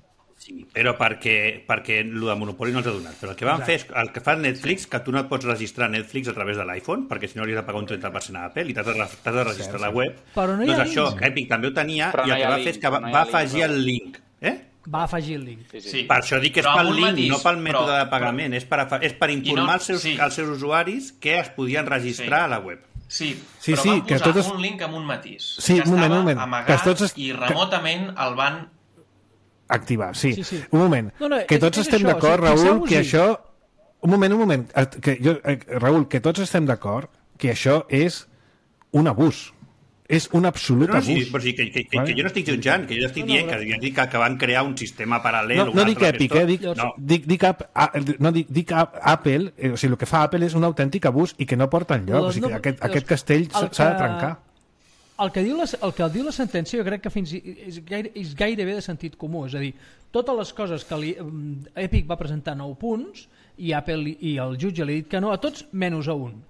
Sí, però perquè, perquè el de Monopoli no els ha donat. Però el que van fer és el que fa Netflix, que tu no et pots registrar a Netflix a través de l'iPhone, perquè si no hauries de pagar un trenta per cent a Apple i t'has de, t'has de registrar a la web. Però no hi ha doncs això, link. Epic també ho tenia Però i no el hi que ha va link, fer és que va, no hi ha va link, afegir però- el link. Eh? va afegir el link. Sí, sí. Sí. Per això dic que és Però pel amb un link, matís, no pel mètode però- de pagament. És per, afa- és per informar no- els, seus, sí. els seus usuaris que es podien registrar Sí. a la web. Sí, Sí, però sí, van que posar tots es- un link amb un matís. Sí, que un moment, estava un moment. amagat Que tots es- i remotament el van... Activar, sí. Sí, sí. Un moment. No, no, que és- tots és estem això, d'acord, sí, Raül, fixeu-vos-hi. que això... Un moment, un moment. Eh, Que jo, eh, Raül, que tots estem d'acord que això és un abús. És un absolut No, no, sí, abús. però sí, que, que, que, Vale. que jo no estic jutjant, que jo estic No, no, dient però- que, jo dic que, que van crear un sistema paral·lel. No, un no altre dic Epic, gestor. eh? Dic, No, dic, dic, ap, a, no, dic, dic a, Apple, eh, o sigui, el que fa Apple és un autèntic abús i que no porta enlloc. Doncs O sigui, no, aquest, doncs aquest castell el s'ha que- de trencar. El que, diu la, el que diu la sentència jo crec que fins i, és, gaire, és gairebé de sentit comú, és a dir, totes les coses que li, Epic va presentar nou punts i Apple i el jutge li ha dit que no a tots menys a un.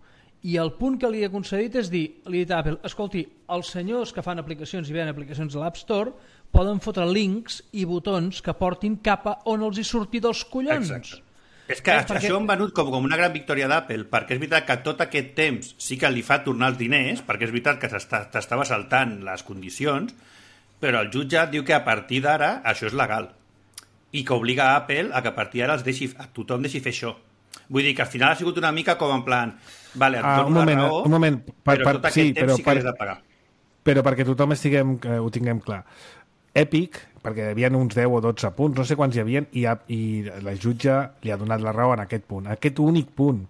I el punt que li ha concedit és dir, li ha dit a Apple, escolti, els senyors que fan aplicacions i venen aplicacions a l'App Store poden fotre links i botons que portin cap a on els hi surti dels collons. Exacte. És que Eh, perquè... perquè- això han venut com, com una gran victòria d'Apple, perquè és veritat que tot aquest temps sí que li fa tornar els diners, perquè és veritat que s'està- t'estava saltant les condicions, però el jutge diu que a partir d'ara això és legal i que obliga a Apple a que a partir d'ara els deixi, a tothom deixi fer això. Vull dir que al final ha sigut una mica com en plan vale, et Ah, dono un moment, la raó, un moment, per- però per- tot aquest sí, temps però sí que per- l'has de pagar. Però perquè tothom estiguem, que ho tinguem clar. Epic, perquè hi havia uns deu o dotze punts, no sé quants hi havia, i, ha, i la jutge li ha donat la raó en aquest punt. Aquest únic punt.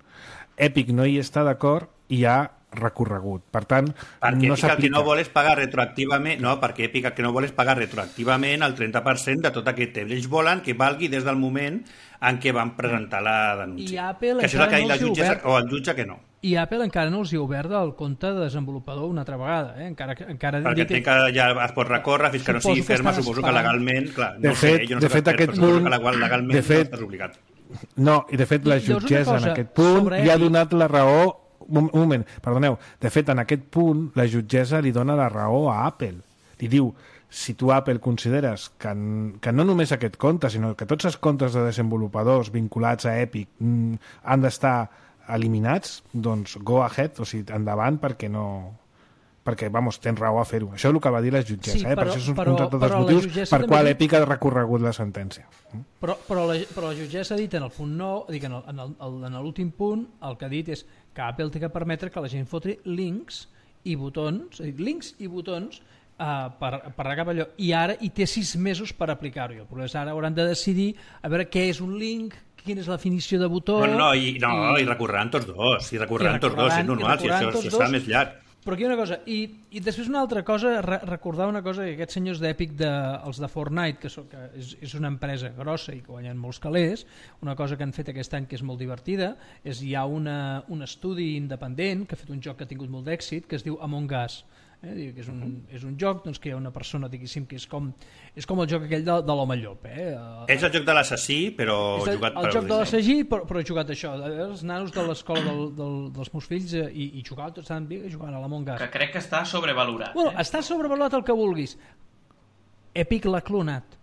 Epic no hi està d'acord i ha recorregut. Per tant, perquè no Epic el que s'aplica. no vol és pagar retroactivament, no, perquè Epic el que no vol és pagar retroactivament el trenta per cent de tot aquest temps. Ells volen que valgui des del moment en què van presentar la denúncia. I Apple que això és el que ha dit la encara no els hi jutgessa, obert. o el jutge que no. I Apple encara no els hi ha obert el compte de desenvolupador una altra vegada, eh? Encara, que- encara Perquè dit- entenc que ja es pot recórrer fins que no Suposo sigui que ferma, estan suposo que esperant. legalment, clar, De no fet- sé, jo no de sé fet, per aquest però suposo punt- que legal- legalment de fet- no estàs obligat. No, i de fet la I llavors una jutgessa cosa en aquest punt sobre li ha Epic. donat la raó... Un un moment, perdoneu. De fet, en aquest punt, la jutgessa li dona la raó a Apple. Li diu, si tu, Apple, consideres que, n- que no només aquest compte, sinó que tots els comptes de desenvolupadors vinculats a Epic mm, han d'estar eliminats, doncs go ahead, o sigui, endavant, perquè no... perquè, vamos, tens raó a fer-ho. Això és el que va dir la jutgessa, Sí, eh? per però- això és un, però- un altre dels però la motius jutgessa per també qual diu- Epic ha recorregut la sentència. Però, però, la, però la jutgessa ha dit en el punt nou, dic, en el- en el- el- en l'últim punt, el que ha dit és que Apple té que permetre que la gent foti links i botons, és a dir, links i botons uh, per, per regar allò, i ara hi té sis mesos per aplicar-ho. El problema és ara hauran de decidir a veure què és un link, quina és la definició de botó... No, no, i, no, i, i recorreran tots dos, i recorreran I tots dos, és recorreran- normal, i si això, recorreran tots això serà dos. més llarg. Però aquí una cosa, i, i després una altra cosa, re, recordar una cosa, que aquests senyors d'Epic, de, els de Fortnite, que, són, que és, és una empresa grossa i que guanyen molts calés, una cosa que han fet aquest any que és molt divertida, és hi ha una, un estudi independent que ha fet un joc que ha tingut molt d'èxit, que es diu Among Us, eh? que és un, és un joc doncs, que hi ha una persona, diguéssim, que és com, és com el joc aquell de, de l'home llop. Eh? És el joc de l'assassí, però És el, jugat el per joc de Disney. l'assagí, però, però he jugat això. Els nanos de l'escola del, del, dels meus fills eh, i, i jugaven tots tan bé jugant a l'Among Us. Que crec que està sobrevalorat. Bueno, eh? està sobrevalorat el que vulguis. Epic l'ha clonat.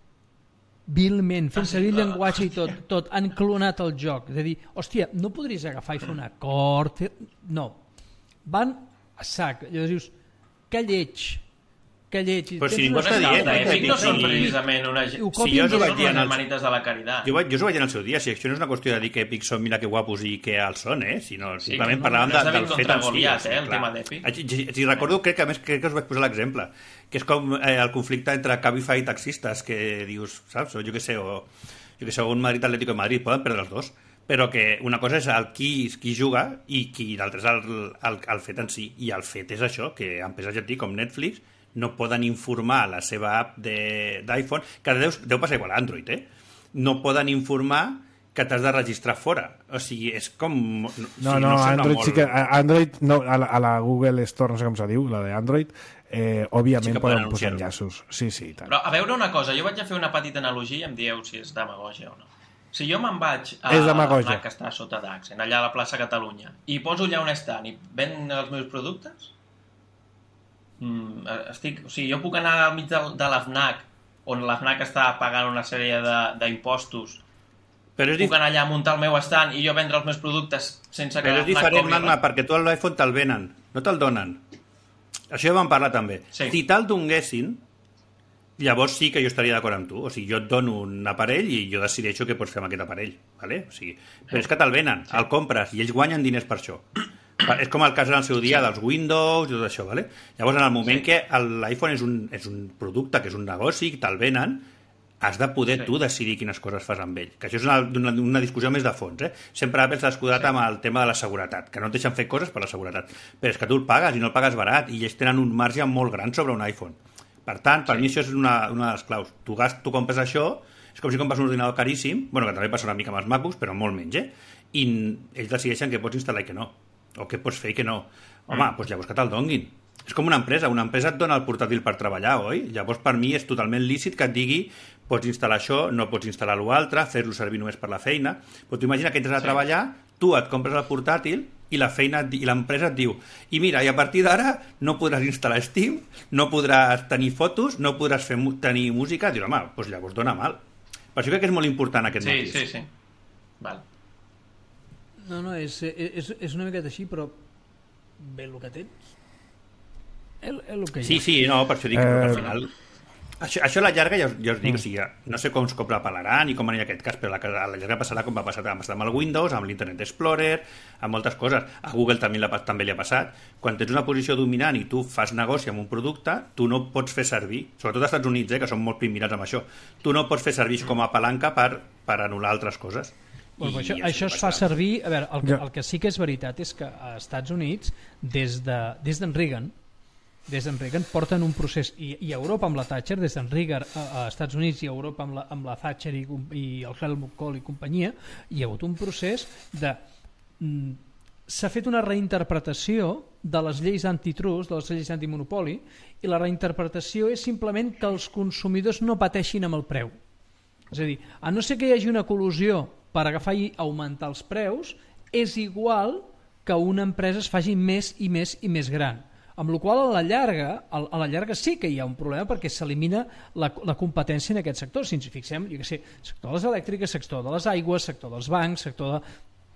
Vilment, fent Ah, sí? servir el Ah, llenguatge i tot, tot. Han clonat el joc. És a dir, hòstia, no podries agafar i fer un acord? Fer... No. Van a sac. Llavors dius, que lleig. Que lleig. Però si Tens ningú una està sala dient, de- eh, Epic no sí. són precisament una... I ho Sí, copien jo us ho des vaig de- dir en les el- manites de la caritat. Jo, vaig, jo us ho vaig dir en el seu dia, si això no és una qüestió de dir que Epic són mira que guapos i que alts són, eh? sinó Sí, simplement no, parlàvem no és de, de del contra fet en si. Goliat, sí, eh, el clar. tema d'Epic. Si, si recordo, crec que a més crec que us vaig posar l'exemple, que és com eh, el conflicte entre Cabify i taxistes, que dius, saps, o jo què sé, o jo què sé, un Madrid Atlético de Madrid, poden perdre els dos, però que una cosa és el qui, qui juga i qui l'altre és el, el, el fet en si, i el fet és això, que empreses ja et dic, com Netflix no poden informar la seva app de- d'iPhone, que deu, deu passar igual a Android, eh? No poden informar que t'has de registrar fora. O sigui, és com... No, No, sí, no, sembla Android molt... sí que... a- Android, no, a la, a la Google Store, no sé com se diu, la de Android, eh, òbviament Sí que sí poden poden posar anunciar-ho. enllaços. Sí, sí, i tant. Però a veure una cosa, jo vaig a fer una petita analogia i em dieu si és demagogia o no. Si jo me'n vaig a És demagogia. la que està sota d'Accent, allà a la plaça Catalunya, i poso allà un stand i ven els meus productes, mm, estic, o sigui, jo puc anar al mig de, de la FNAC, on la FNAC està pagant una sèrie de- d'impostos, Però és, puc dif anar allà a muntar el meu stand i jo vendre els meus productes sense que però la és FNAC diferent, cobri Magma, res? perquè tu l'iPhone te'l venen, no te'l donen. Això ja vam parlar també. Sí. Si te'l donguessin, llavors sí que jo estaria d'acord amb tu. O sigui, jo et dono un aparell i jo decideixo què pots fer amb aquest aparell. Vale? O sigui, però és que te'l venen, sí. El compres i ells guanyen diners per això. És com el cas en el seu dia sí. dels Windows i tot això. Vale? Llavors, en el moment sí. que l'iPhone és, un, és un producte, que és un negoci, que te'l venen, has de poder sí. tu decidir quines coses fas amb ell. Que això és una, una, una discussió més de fons. Eh? Sempre Apple s'ha escudat sí. amb el tema de la seguretat, que no et deixen fer coses per la seguretat. Però és que tu el pagues i no el pagues barat i ells tenen un marge molt gran sobre un iPhone. Per tant, per sí. mi això és una, una de les claus. Tu, gast, tu compres això, és com si compres un ordinador caríssim, bueno, que també passa una mica amb els MacBooks, però molt menys, eh? I ells decideixen què pots instal·lar i què no. O què pots fer i què no. Home, mm. doncs llavors que te'l donguin. És com una empresa. Una empresa et dona el portàtil per treballar, oi? Llavors, per mi, és totalment lícit que et digui pots instal·lar això, no pots instal·lar l'altre, fer-lo servir només per la feina. Però tu imagina que entres a sí. treballar, tu et compres el portàtil i la feina i l'empresa et diu i mira, i a partir d'ara no podràs instal·lar Steam, no podràs tenir fotos, no podràs fer, tenir música. Dius, home, doncs llavors dona mal. Per això crec que és molt important aquest Sí, matís. sí, sí. Val. No, no, és, és, és una miqueta així, però bé el que tens. És, és el que hi ha. Sí, sí, no, per això dic, Eh, eh... al final... Això, això a la llarga, ja us, ja us dic, Mm. o sigui, no sé com es copla pelaran i com anirà aquest cas, però a la, a la llarga passarà com va passar amb, amb el Windows, amb l'Internet Explorer, amb moltes coses. A Google també, la, també li ha passat. Quan tens una posició dominant i tu fas negoci amb un producte, tu no pots fer servir, sobretot als Estats Units, eh, que són molt primirats amb això, tu no pots fer servir com a palanca per, per anul·lar altres coses. Bueno, això, això es fa servir... A veure, el, el que sí que és veritat és que a Estats Units, des de, des d'en Reagan, des d'en Reagan porten un procés, i, i a Europa amb la Thatcher, des d'en Reagan a, a Estats Units i a Europa amb la, amb la Thatcher i, i el Helmut Kohl i companyia, hi ha hagut un procés de... Mm, s'ha fet una reinterpretació de les lleis antitrust, de les lleis antimonopoli, i la reinterpretació és simplement que els consumidors no pateixin amb el preu. És a dir, a no ser que hi hagi una col·lusió per agafar i augmentar els preus, és igual que una empresa es faci més i més i més gran. Amb la qual cosa, a la llarga, a la llarga sí que hi ha un problema perquè s'elimina la, la competència en aquest sector. Si ens fixem, jo què sé, sector de les elèctriques, sector de les aigües, sector dels bancs, sector de...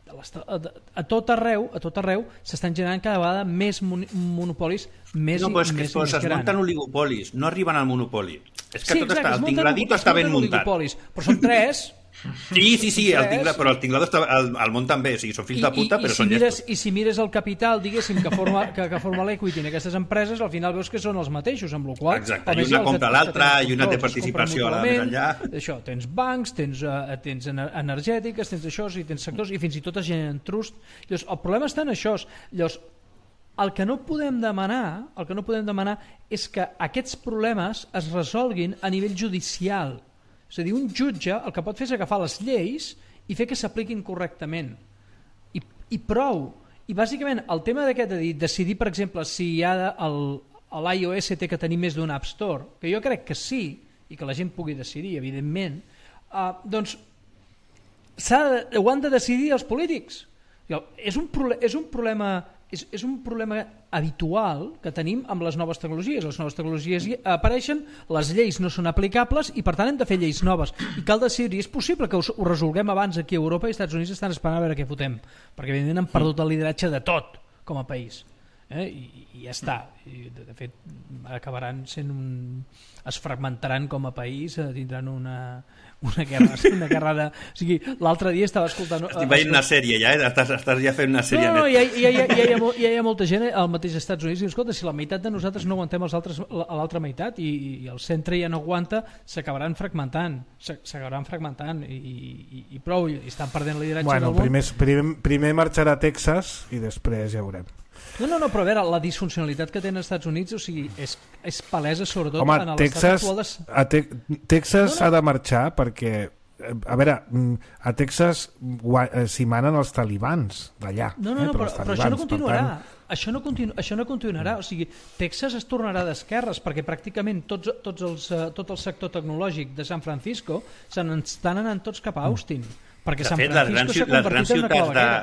a tot arreu a tot arreu s'estan generant cada vegada més monopolis més no, i és que més, es més grans. munten oligopolis, no arriben al monopoli. És que sí, tot exacte, està, el tingladito està ben muntat. Però són tres. Sí, sí, sí, el tingla, però el tinglado està al, al món també, o sigui, són fills I, de puta, i, però i són si mires, llestos. I si mires el capital, diguéssim, que forma, que, que forma l'equity en aquestes empreses, al final veus que són els mateixos, amb la qual cosa... Exacte, i una compra l'altra, i una té participació a la més enllà. Això, tens bancs, tens, uh, tens energètiques, tens això, i tens sectors, i fins i tot es generen trust. Llavors, el problema està en això. Llavors, el que no podem demanar, el que no podem demanar és que aquests problemes es resolguin a nivell judicial. És a dir, un jutge el que pot fer és agafar les lleis i fer que s'apliquin correctament. I, i prou. I bàsicament el tema d'aquest de dir, decidir, per exemple, si hi ha l'iOS té que tenir més d'un App Store, que jo crec que sí, i que la gent pugui decidir, evidentment, uh, doncs de, ho han de decidir els polítics. És un, és un problema... És, és un problema habitual que tenim amb les noves tecnologies. Les noves tecnologies apareixen, les lleis no són aplicables i per tant hem de fer lleis noves. I cal decidir, és possible que ho, ho resolguem abans aquí a Europa i als Estats Units estan esperant a veure què fotem, perquè evidentment han perdut el lideratge de tot com a país. Eh? I, i ja està. I, de, de fet, acabaran sent un... es fragmentaran com a país, tindran una... una guerra, una guerra de... O sigui, l'altre dia estava escoltant... Estic veient una sèrie ja, eh? Estàs, estàs ja fent una sèrie. No, no, ja, ja, ja, ja, hi ha, ja hi ha molta gent al mateix Estats Units i diu, escolta, si la meitat de nosaltres no aguantem els altres, a l'altra meitat i, i el centre ja no aguanta, s'acabaran fragmentant, s'acabaran fragmentant i, i, i prou, i estan perdent el lideratge bueno, del món. Primer, primer, primer marxarà a Texas i després ja veurem. No, no, no, però a veure, la disfuncionalitat que tenen els Estats Units, o sigui, és, és palesa sobretot Home, en l'estat actual de... a te Texas no, no. ha de marxar perquè, a veure, a Texas s'hi manen els talibans d'allà. No, no, no, eh, però, però, però això no continuarà. Tant... Això no, continu això no continuarà. O sigui, Texas es tornarà d'esquerres perquè pràcticament tots, tots els, uh, tot el sector tecnològic de San Francisco se n'estan anant tots cap a Austin. Perquè de San fet, Francisco s'ha convertit en una claveguera.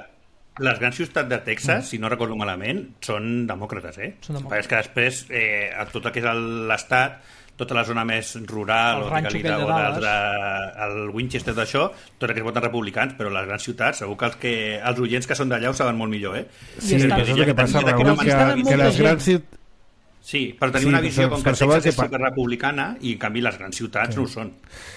Les grans ciutats de Texas, mm. si no recordo malament, són demòcrates, eh? Són demòcrates. És que després, eh, a tot el que és l'estat, tota la zona més rural, el o que li treu el Winchester d'això, tot el que es voten republicans, però les grans ciutats, segur que els, que, els oients que són d'allà ho saben molt millor, eh? Sí, però és el que passa, Raül, que, que les grans ciutats... Sí, per tenir sí, una visió com que Texas és superrepublicana i en canvi les grans ciutats sí. no ho són.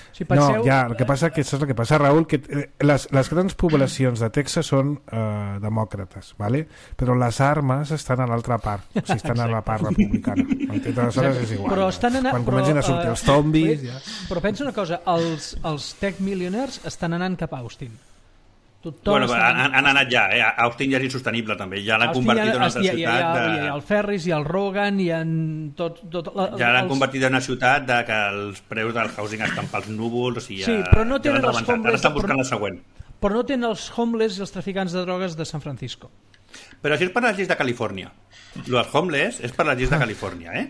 Si penseu... No, ja, el que passa que és el que passa, Raül, que les, les grans poblacions de Texas són eh, demòcrates, ¿vale? Però les armes estan a l'altra part, o sigui, estan a la part republicana. Aleshores és igual. Però estan anant, Quan però, comencin a sortir els zombis... Però, ja... però pensa una cosa, els, els tech millionaires estan anant cap a Austin. Tothom bueno, està... han, han anat ja, eh? Austin ja és insostenible també, ja l'han convertit en una altra hi ha, ciutat hi ha, de... hi ha el Ferris, hi ha el Rogan, hi ha tot... tot la, ja l'han els... convertit en una ciutat de que els preus del housing estan pels núvols, o sigui, ja, sí, però no tenen ja els homeless, ara estan buscant però, la següent. Però no tenen els homeless i els traficants de drogues de San Francisco. Però això és per les lleis de Califòrnia. Els homeless és per les lleis de Califòrnia, eh?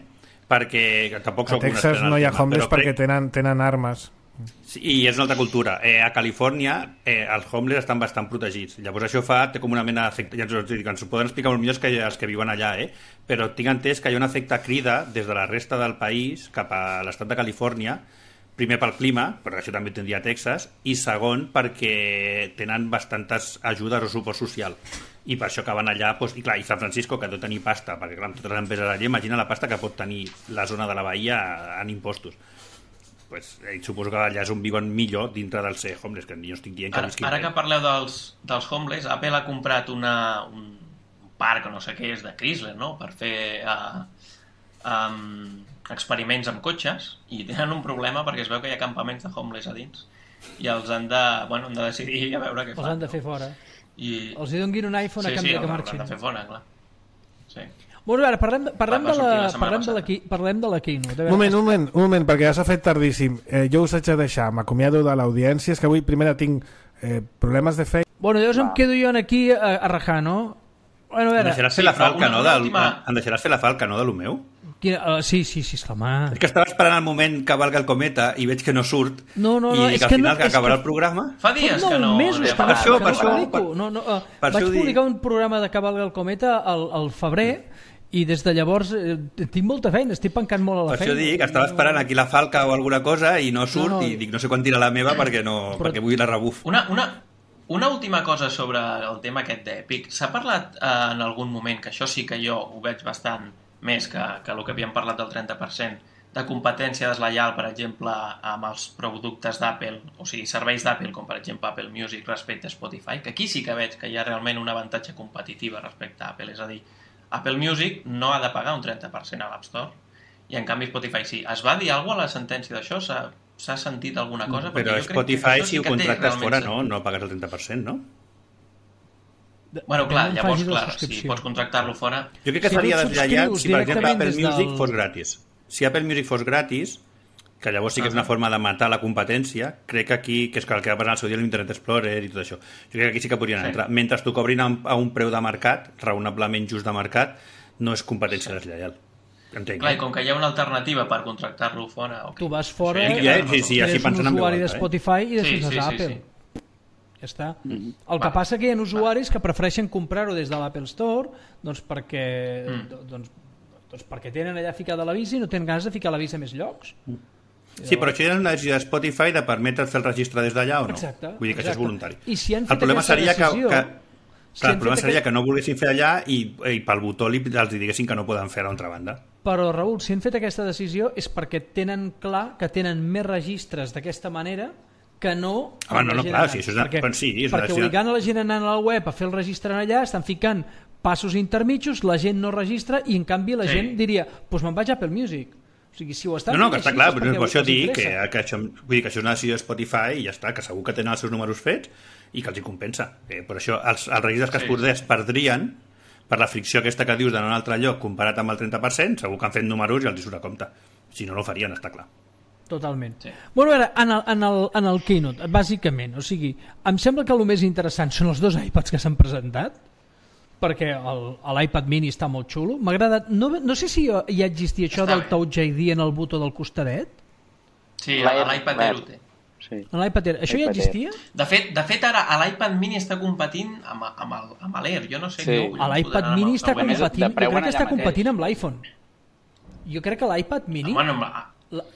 Perquè tampoc a Texas no hi ha homeless perquè tenen, tenen armes. Sí, i és una altra cultura. Eh, a Califòrnia eh, els homeless estan bastant protegits. Llavors això fa, té com una mena d'efecte, ja ens, ens ho poden explicar molt millor que els que viuen allà, eh? Però tinc entès que hi ha un efecte crida des de la resta del país cap a l'estat de Califòrnia, primer pel clima, però això també tindria a Texas, i segon perquè tenen bastantes ajudes o suport social. I per això que van allà, doncs, i clar, i San Francisco, que ha de tenir pasta, perquè clar, amb totes les empreses allà, imagina la pasta que pot tenir la zona de la Bahia en impostos. Pues, eh, suposo que allà és on viuen millor dintre del ser homeless, que jo estic dient que ara, ara que parleu dels, dels homeless, Apple ha comprat una, un, un parc o no sé què és de Chrysler, no?, per fer uh, um, experiments amb cotxes, i tenen un problema perquè es veu que hi ha campaments de homeless a dins i els han de, bueno, han de decidir a veure què fan. Els han de fer fora. I... Els hi donguin un iPhone sí, a canvi sí, de que els marxin. han de fer fora, clar. Sí. Bueno, ara, parlem, parlem, Va, va de la, sortir la parlem, de la, setmana parlem de la Keynote. Un moment, un moment, un moment, perquè ja s'ha fet tardíssim. Eh, jo us haig de deixar, m'acomiado de l'audiència, és que avui primera tinc eh, problemes de feina. Bueno, llavors em quedo jo aquí a, a rajar, no? Bueno, a Em veure... deixaràs fer sí, la però falca, una- no? una Del, última- Em deixaràs fer la falca, no, de lo meu? Quina, uh, sí, sí, sí, esclar, És que estava esperant el moment que valga el cometa i veig que no surt. No, no, no, i és que al que no- final que és acabarà que- el programa... Fa dies Fa que no... mesos que, Per no, això, que per no això, publico. per- no, no, uh, per vaig això ho dic. publicar un programa de Cavalga el Cometa al, al febrer i des de llavors eh, tinc molta feina, estic pencant molt a la Per feina. això dic, estava esperant aquí la falca o alguna cosa i no surt, No, no. i dic, no sé quan tira la meva perquè, no, Però- perquè vull la rebuf. Una, una, una última cosa sobre el tema aquest d'Epic. S'ha parlat eh, en algun moment, que això sí que jo ho veig bastant més que, que el que havíem parlat del trenta per cent, de competència deslleial, per exemple, amb els productes d'Apple, o sigui, serveis d'Apple, com per exemple Apple Music respecte a Spotify, que aquí sí que veig que hi ha realment un avantatge competitiva respecte a Apple, és a dir, Apple Music no ha de pagar un trenta per cent a l'App Store, i en canvi Spotify sí. Es va dir alguna cosa a la sentència d'això? S'ha s'ha sentit alguna cosa? Però Perquè jo crec que Spotify, això sí si ho que té contractes realment fora, no, sentit. no pagues el trenta per cent, no? Bueno, clar, Depèn d'on llavors, facis la clar, si subscripció. pots contractar-lo fora... Jo crec que Si tu seria et deslleiat subscrius si, per exemple, directament Apple des Music del- fos gratis. Si Apple Music fos gratis, que llavors sí que és una forma de matar la competència, crec que aquí, que és que el que va passar al seu dia l'Internet Explorer i tot això, jo crec que aquí sí que podrien Sí. entrar. Mentre t'ho cobrin a un, a un preu de mercat, raonablement just de mercat, no és competència deslleial. Entenc. Clar, i com que hi ha una alternativa per contractar-lo fora... Okay. Tu vas fora, Sí, ja, no, no, sí, sí, no. així eres un pensant en veu usuari de alta, eh? Spotify i deixes Sí, sí, a sí, Apple. sí. Ja està. Mm-hmm. El que Va. passa que hi ha usuaris que prefereixen comprar-ho des de l'Apple Store doncs perquè, Mm. doncs, doncs perquè tenen allà ficada la visa i no tenen ganes de ficar la visa a més llocs. Sí, però això ja és una decisió de Spotify de permetre fer el registre des d'allà o no? Exacte, Vull dir que això és exacte. voluntari. I si han el fet problema aquesta seria que, decisió- que, si clar, han el problema fet seria aquest- que no volguessin fer allà i, i pel botó li, els diguessin que no poden fer a l'altra banda. Però, Raül, si han fet aquesta decisió és perquè tenen clar que tenen més registres d'aquesta manera que no... Ah, no, amb la no, gent clar, anant. sí, això és una- perquè, doncs sí, és una perquè decisió. obligant a la gent anant a la web a fer el registre allà, estan ficant passos intermitjos, la gent no registra i en canvi la Sí. gent diria, doncs pues me'n vaig a Apple Music. O sigui, si ho estan No, no, fent que està així, clar, és però perquè per això els dic que, interessa. que, això, vull dir que això és una decisió de Spotify i ja està, que segur que tenen els seus números fets i que els hi compensa. Eh, per això els, els registres que Sí. es poders perdrien per la fricció aquesta que dius d'anar a un altre lloc comparat amb el trenta per cent, segur que han fet números i els hi surt a compte. Si no, no ho farien, està clar. Totalment. Sí. Bueno, ara, en el, en, el, en el Keynote, bàsicament, o sigui, em sembla que el més interessant són els dos iPads que s'han presentat, perquè el- l'iPad mini està molt xulo. M'ha agradat, no, no sé si ja existia això Està del bé. Touch I D en el botó del costadet. Sí, L'Air- l'iPad l'Air. Air ho té. Sí. En l'iPad Air. Això ja iPad Air. existia? De fet, de fet ara l'iPad mini està competint amb, amb el- amb l'Air. Jo no sé... Sí. no, no L'iPad podran mini amb està el- més, competint, de preu jo crec que allà està mateix. competint amb l'iPhone. Jo crec que l'iPad mini... Bueno, amb la-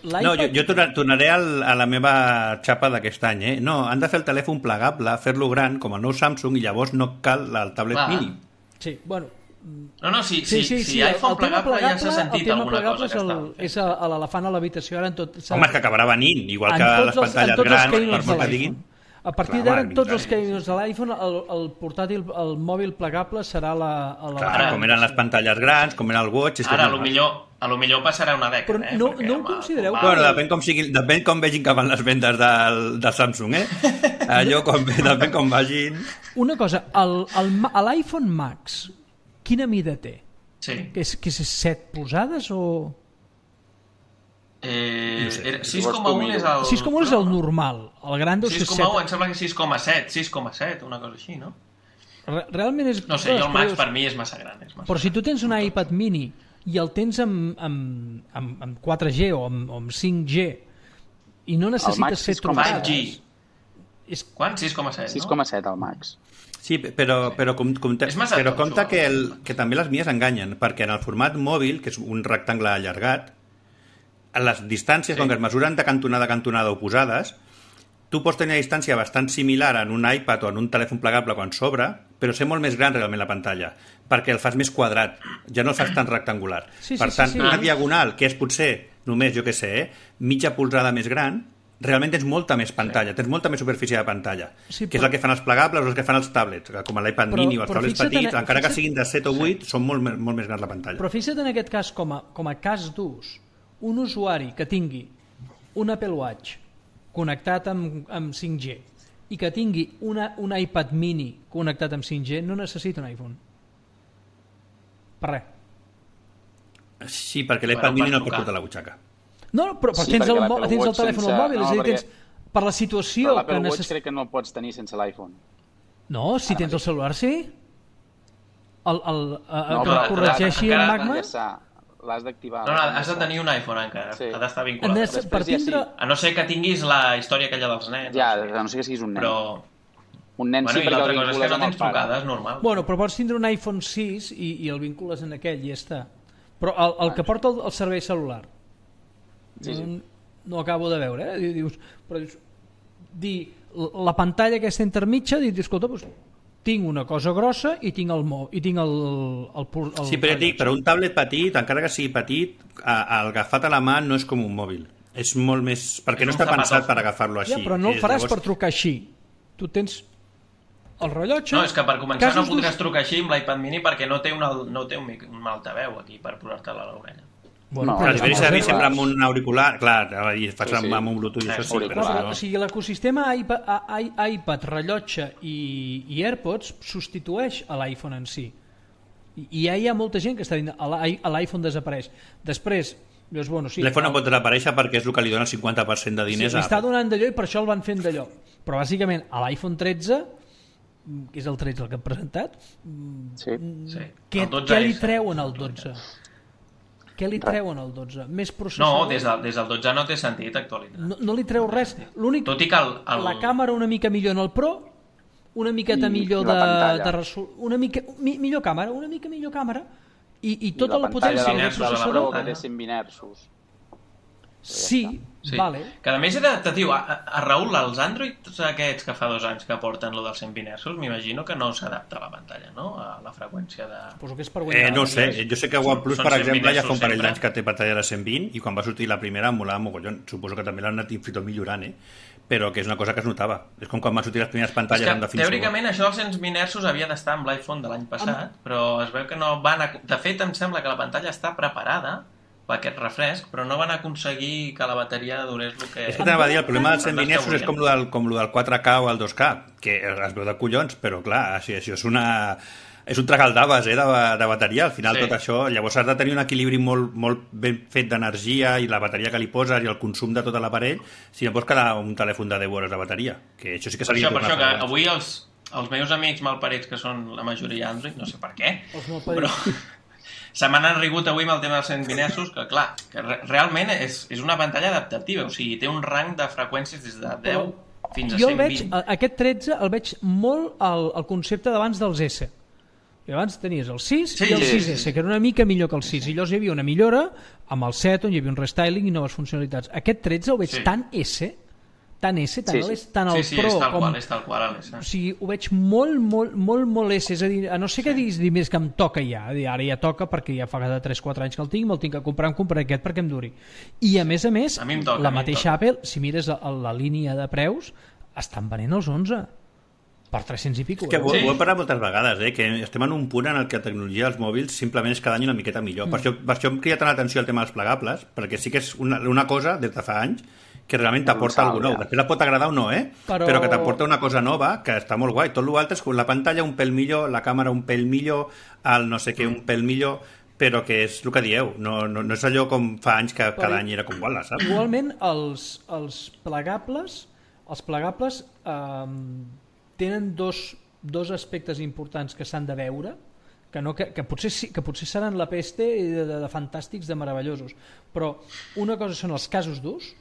l'iPad- No, jo, jo torna- tornaré al, a la meva xapa d'aquest any. Eh? No, han de fer el telèfon plegable, fer-lo gran, com el nou Samsung, i llavors no cal el tablet Clar. mini. Sí, bueno, No, no, si, sí, si, sí, si sí, el, iPhone el tema plegable ja s'ha plegable, el sentit tema alguna plegable cosa és que el- està... és a l'elefant a l'habitació, ara en tot... s'ha- Home, és que acabarà venint, igual en que tots les els- en pantalles tots els grans, per keynotes molt de que diguin. l'iPhone. A partir Clar, d'ara, va, en tots els vindrà. keynotes de l'iPhone, el, el portàtil, el mòbil plegable serà la... la Clar, Ara- com eren les pantalles grans, com era el Watch... És que Ara, a és lo normal. millor, a lo millor passarà una dècada, Però eh? no- Perquè no ho amb el- considereu com que- va- Bueno, depèn com, sigui, depèn com vegin que van les vendes del, del Samsung, eh? Allò, com, depèn com vagin... Una cosa, el- el Ma- a l'iPhone Max, quina mida té? Sí. Que és, que és set polzades o...? Eh, No sé. era- sis coma u és el... sis coma u és el normal, el gran deu ser sis coma u, set. em sembla que sis coma set, sis coma set, una cosa així, no? Re- Realment és... No sé, jo el Max Però- per mi és massa gran. És massa Però si tu gran. tens un iPad mini i el tens amb, amb, amb, amb quatre G o amb, o amb cinc G i no necessites Max fer sis coma set. trucades... cinc G. És, Quant? sis coma set, sis no? coma set al Max. Sí, però, però, com, com, És massa però tonto, compte això. que, el, que també les mies enganyen, perquè en el format mòbil, que és un rectangle allargat, a les distàncies, Sí. sí. com que es mesuren de cantonada a cantonada oposades, tu pots tenir una distància bastant similar en un iPad o en un telèfon plegable quan s'obre, però ser molt més gran realment la pantalla, perquè el fas més quadrat, ja no el fas tan rectangular. Sí, sí, per sí, tant, sí. una diagonal, que és potser només, jo què sé, eh, mitja polzada més gran, realment tens molta més pantalla, tens molta més superfície de pantalla, Sí, que és però- el que fan els plegables o el que fan els tablets, que com l'iPad Però- mini o els però tablets fixa't en- petits, encara que fixa't- siguin de set o vuit, són molt, me- molt més grans la pantalla. Però fixa't en aquest cas com a, com a cas d'ús, un usuari que tingui un Apple Watch connectat amb, amb cinc G i que tingui una, un iPad mini connectat amb cinc G no necessita un iPhone. Per res. Sí, perquè l'iPad Bueno, mini no per el pots tocar. portar a la butxaca. No, no, però, però Sí, tens, perquè el, l'Apple mo- tens el Watch telèfon sense- al mòbil, no, és a dir, perquè- tens per la Però situació l'Apple que Watch necessites... crec que no el pots tenir sense l'iPhone. No, si tens el celular, sí. El, el, el, No, que però el corregeixi encara- el L'has Magma... d'enllaçar, l'has d'activar. No, no, has de tenir un iPhone encara, Sí. ha d'estar vinculat. Nes- Després per ja sí. tindre... A no ser que tinguis la història aquella dels nens. Ja, no sé. a no sé que siguis un nen. Però... Un nen Bueno, sí i perquè el l'altra cosa és que vincules no amb el tens pare. trucades, normal. Bueno, però pots tindre un iPhone sis i, i el vincules en aquell i ja està. Però el, el que porta el, el servei celular Sí, sí. no, no acabo de veure, eh? Dius, però dius, dir, la pantalla aquesta intermitja, dius, escolta, doncs, tinc una cosa grossa i tinc el mo i tinc el, el, el, el Sí, però ja et dic, però un tablet petit, encara que sigui petit, a- el agafat a la mà no és com un mòbil. És molt més... Perquè És no un està pensat zapatòfon. per agafar-lo així. Ja, però no el És, faràs llavors- per trucar així. Tu tens el rellotge... No, és que per començar casos no podràs d'ús- trucar així amb l'iPad mini perquè no té un, al- no té un, mic- un altaveu aquí per posar-te-la a l'orella. Bueno, No, però Clar, ja deberia està. servir sempre amb un auricular. Clar, i fas Sí, sí. amb un Bluetooth i això sí, Auricular. però No, no. o sigui, l'ecosistema iPad, a- i- iPad, rellotge i, i AirPods substitueix a l'iPhone en si. I, I ja hi ha molta gent que està dient a l'i- a l'iPhone desapareix. Després, dius, bueno, sí, L'iPhone no el- pot desaparèixer perquè és el que li dona el cinquanta per cent de sí, diners li a està Apple. donant d'allò i per això el van fent d'allò. Però bàsicament a l'iPhone tretze, que és el tretze el que han presentat, Sí. Sí. què, El dotze què li S. treuen al dotze? Què li treuen al dotze? Més No, processador? des del, des del dotze no té sentit actualitzar. No, no li treu res. L'únic, Tot i que el, el... la càmera una mica millor en el Pro, una miqueta I- millor i la de, pantalla. de resol... una mica mi, millor càmera, una mica millor càmera i, i I tota la, pantalla potència del, del del del processador. Pro que té cent vint hertzos. Sí, Sí. vale. Que a més he de, te diu, a, a Raül, els Androids aquests que fa dos anys que porten lo dels cent vint hertzos, m'imagino que no s'adapta a la pantalla, no? A la freqüència de... Suposo que és per Eh, guanyar. no ho sé, jo sé que OnePlus, són per cent exemple, ja hertzos fa un parell sempre. d'anys que té pantalla de cent vint i quan va sortir la primera em molava mogollon. Suposo que també l'han anat fins i tot millorant, eh? Però que és una cosa que es notava. És com quan van sortir les primeres És pantalles que, amb definició. teòricament, això dels cent vint hertzos havia d'estar amb l'iPhone de l'any passat, però es veu que no van... A... De fet, em sembla que la pantalla està preparada per aquest refresc, però no van aconseguir que la bateria durés el que... És que t'anava a dir, el problema dels cent vint hertzos és volien. com lo del, com lo del quatre K o el dos K, que es veu de collons, però clar, això, això és una... És un tragaldaves, eh, de, de bateria. Al final Sí. tot això... Llavors has de tenir un equilibri molt, molt ben fet d'energia i la bateria que li poses i el consum de tot l'aparell, si no pots quedar un telèfon de deu hores de bateria. Que això sí que Per seria això, per tornar això que a fer. avui els, els meus amics malparits, que són la majoria Android, no sé per què, Els malparits. però se m'han enrigut avui amb el tema dels cent vint hertzos, que clar, que re realment és, és una pantalla adaptativa, o sigui, té un rang de freqüències des de deu fins a Jo el cent veig, vint. a- aquest tretze el veig molt al, al concepte d'abans dels S. I abans tenies el sis Sí, i el sí, sis S, que era una mica millor que el sis. I llavors hi havia una millora amb el set, on hi havia un restyling i noves funcionalitats. Aquest tretze el veig Sí. tan S, tan S, tan, Sí, el, sí. tant el Sí, sí, Pro és tal com... qual, és tal qual, Alex. O sigui, ho veig molt, molt, molt, molt S. És a dir, a no ser que diguis, més que em toca ja. A dir, ara ja toca perquè ja fa cada tres quatre anys que el tinc, me'l tinc que comprar, em compraré aquest perquè em duri. I a més a més, A mi em toca, la a mi em mateixa toca. Apple, si mires a, a la línia de preus, estan venent els onze per tres-cents i pico. És que ho, Sí. ho he parlat moltes vegades, eh? Que estem en un punt en el que la tecnologia dels mòbils simplement és cada any una miqueta millor. Mm. Per, això, per això em crida tant l'atenció el tema dels plegables, perquè sí que és una, una cosa des de fa anys que realment t'aporta Universal, alguna nou. ja. Després la pot agradar o no, eh? Però- Però, Però que t'aporta una cosa nova que està molt guai. Tot l'altre és com la pantalla un pèl millor, la càmera un pèl millor, el no sé què un pèl millor, però que és el que dieu. No, no, no és allò com fa anys que cada any era com guala, saps? Igualment, els, els plegables, els plegables eh, tenen dos, dos aspectes importants que s'han de veure, que, no, que, que, potser, sí, que potser seran la peste de, de, de fantàstics, de meravellosos, però una cosa són els casos d'ús,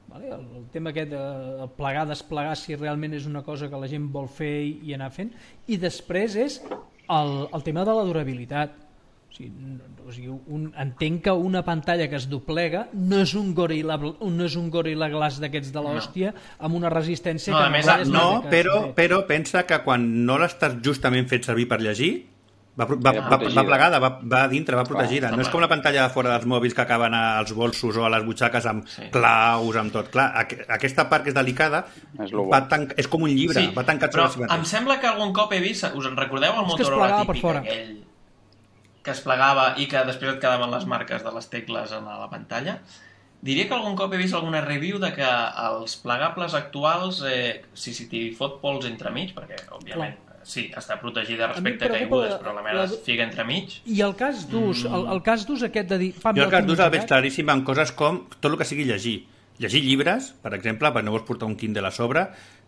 vale? el, el tema aquest de el plegar, desplegar, si realment és una cosa que la gent vol fer i, i anar fent, i després és el, el tema de la durabilitat. O sigui, no, o sigui, un, entenc que una pantalla que es doblega no és un Gorilla, no és un Gorilla Glass d'aquests de l'hòstia amb una resistència No, que a més, vegades No, té que- però, però pensa que quan no l'estàs justament fet servir per llegir, va, pro- va, Era va, protegida. va plegada, va, va a dintre, va protegida. Clar, No és com la pantalla de fora dels mòbils que acaben als bolsos o a les butxaques amb Sí. claus, amb tot. Clar, aqu aquesta part que és delicada És lo bo. va tan, és com un llibre, Sí, va tancat però sobre si em mateix. sembla que algun cop he vist, us en recordeu el És que es Motorola plegava per típic fora. aquell que es plegava i que després et quedaven les marques de les tecles en la pantalla? diria que algun cop he vist alguna review de que els plegables actuals, eh, si, si t'hi fot pols entremig, perquè, òbviament, Clar. sí, està protegida respecte a caigudes, però la meva la... es fica entremig. I el cas d'ús, mm. el, el cas d'ús aquest de dir... Jo el cas d'ús el veig claríssim en coses com tot el que sigui llegir. Llegir llibres, per exemple, per no vols portar un Kindle a sobre,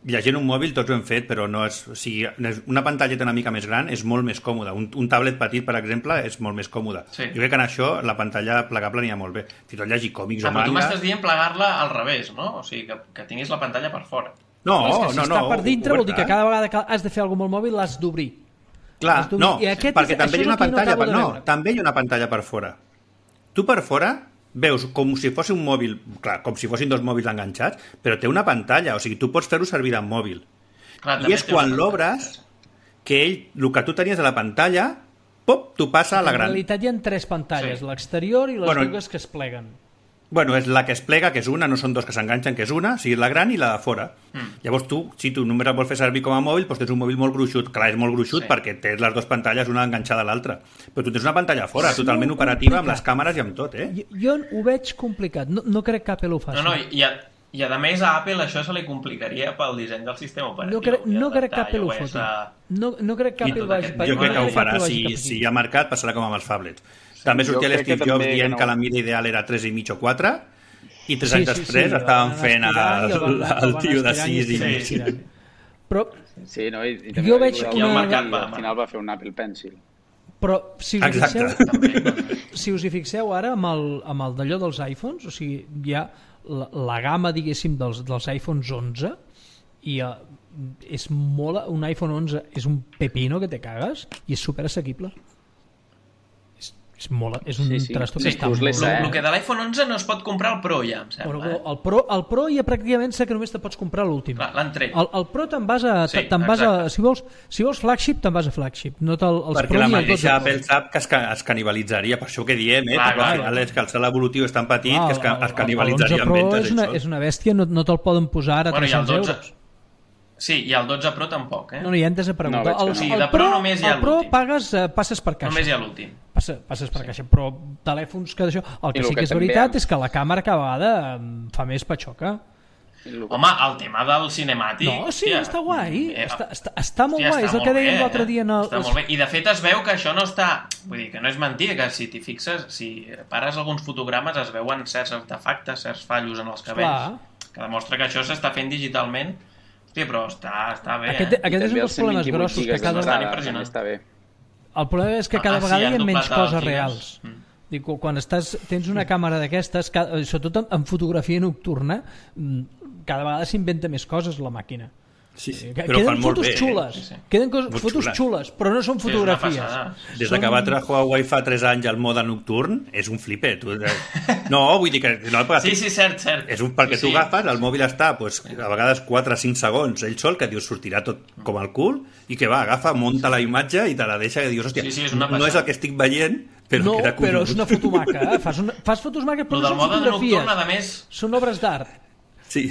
llegint un mòbil tots ho hem fet, però no és, o sigui, una pantalleta una mica més gran és molt més còmoda. Un, un tablet petit, per exemple, és molt més còmode. Sí. Jo crec que en això la pantalla plegable n'hi ha molt bé. Si tot llegir còmics ah, o manga... Però tu m'estàs dient plegar-la al revés, no? O sigui, que, que tinguis la pantalla per fora. No, no, si no, està no. per dintre vol dir que cada vegada que has de fer alguna cosa amb el mòbil l'has d'obrir. Clar, no, perquè és, també hi ha una pantalla per, no, també hi ha una pantalla per fora. Tu per fora veus com si fos un mòbil, clar, com si fossin dos mòbils enganxats, però té una pantalla, o sigui, tu pots fer-ho servir amb mòbil. Clar, I és quan l'obres que ell, el que tu tenies a la pantalla, pop, t'ho passa a la gran. En realitat hi ha tres pantalles, sí. L'exterior i les bueno, dues que es pleguen. Bueno, és la que es plega, que és una, no són dos que s'enganxen, que és una, o sigui, la gran i la de fora. Mm. Llavors tu, si tu només el vols fer servir com a mòbil, doncs tens un mòbil molt gruixut. Clar, és molt gruixut sí. perquè tens les dues pantalles, una enganxada a l'altra. Però tu tens una pantalla fora, és totalment operativa, complicat. Amb les càmeres i amb tot, eh? Jo, jo ho veig complicat, no, no crec que Apple ho faci. No, no, i a, i a més a Apple això se li complicaria pel disseny del sistema operatiu. No, cre no crec que Apple ho foti. A... No, no crec que Apple vagi... Jo crec que ho farà, si, si hi ha mercat passarà com amb els phablets. Sí, també sortia l'Steve Jobs dient que, no... que la mida ideal era tres i mig o quatre, i tres sí, anys sí, després sí, estaven fent el, el, el tio de sis i mig. Sí, però sí, no? I, i jo veig una... una... Mercat, al final va fer un Apple Pencil. Però si us, fixeu, si us hi fixeu ara amb el, amb el d'allò dels iPhones, o sigui, hi ha la, la gamma, diguéssim, dels, dels iPhones onze i uh, és molt, un iPhone onze és un pepino que te cagues i és super assequible. És, molt, és un sí, sí. trastor que sí, està molt... El, el que de l'iPhone onze no es pot comprar el Pro ja, em sembla. Però, el, Pro, el Pro ja pràcticament sé que només te pots comprar l'últim. L'han tret. El, el Pro te'n vas a... Sí, te'n vas a si, vols, si vols flagship, te'n vas a flagship. No el, els Perquè Pro la mateixa Apple sap que es, es canibalitzaria, per això que diem, eh? Clar, clar, al final és que el salt evolutiu és tan petit clar, que es, es canibalitzaria en ventes. És una, és una bèstia, no, no te'l poden posar a bueno, tres-cents euros. Sí, i el dotze Pro tampoc, eh? No, no, ja hem de preguntar. No, el, sí, el, Pro, només hi ha el Pro pagues, uh, passes per caixa. Només hi ha l'últim. Passa, passes per sí. caixa, però telèfons que d'això... El que sí que, que és veritat és que la càmera cada vegada fa més patxoca. Home, el tema del cinemàtic... No, sí, hòstia, està guai. Eh, està, està, està molt hòstia, guai, és el que dèiem l'altre dia. En el... Està molt bé. I de fet es veu que això no està... Vull dir, que no és mentida, que si t'hi fixes, si pares alguns fotogrames es veuen certs artefactes, certs fallos en els cabells, Clar. que demostra que això s'està fent digitalment. Hòstia, però està, està bé, aquest, eh? Aquest és un dels problemes grossos que cada vegada... Està bé. El problema és que cada ah, vegada sí, hi ha menys coses reals. Mm. Dic, quan estàs, tens una càmera d'aquestes, sobretot en fotografia nocturna, cada vegada s'inventa més coses la màquina. Sí, sí, però queden fan molt fotos bé, xules, eh? sí, sí. Queden cos, fotos xules. xules, però no són fotografies. Sí, Des de que va treure Huawei fa tres anys el mode nocturn, és un flipper. Tu... No, vull dir que... No, sí, sí, cert, cert. És un, perquè sí, tu sí. agafes, el mòbil està pues, a vegades quatre o cinc segons, ell sol, que dius sortirà tot com el cul, i que va, agafa, munta la imatge i te la deixa i dius, hòstia, sí, sí, no és el que estic veient, però no, queda però és una fotomaca, eh? fas, una, fas fotos maques, però no són fotografies. Nocturn, a més... Són obres d'art. Sí.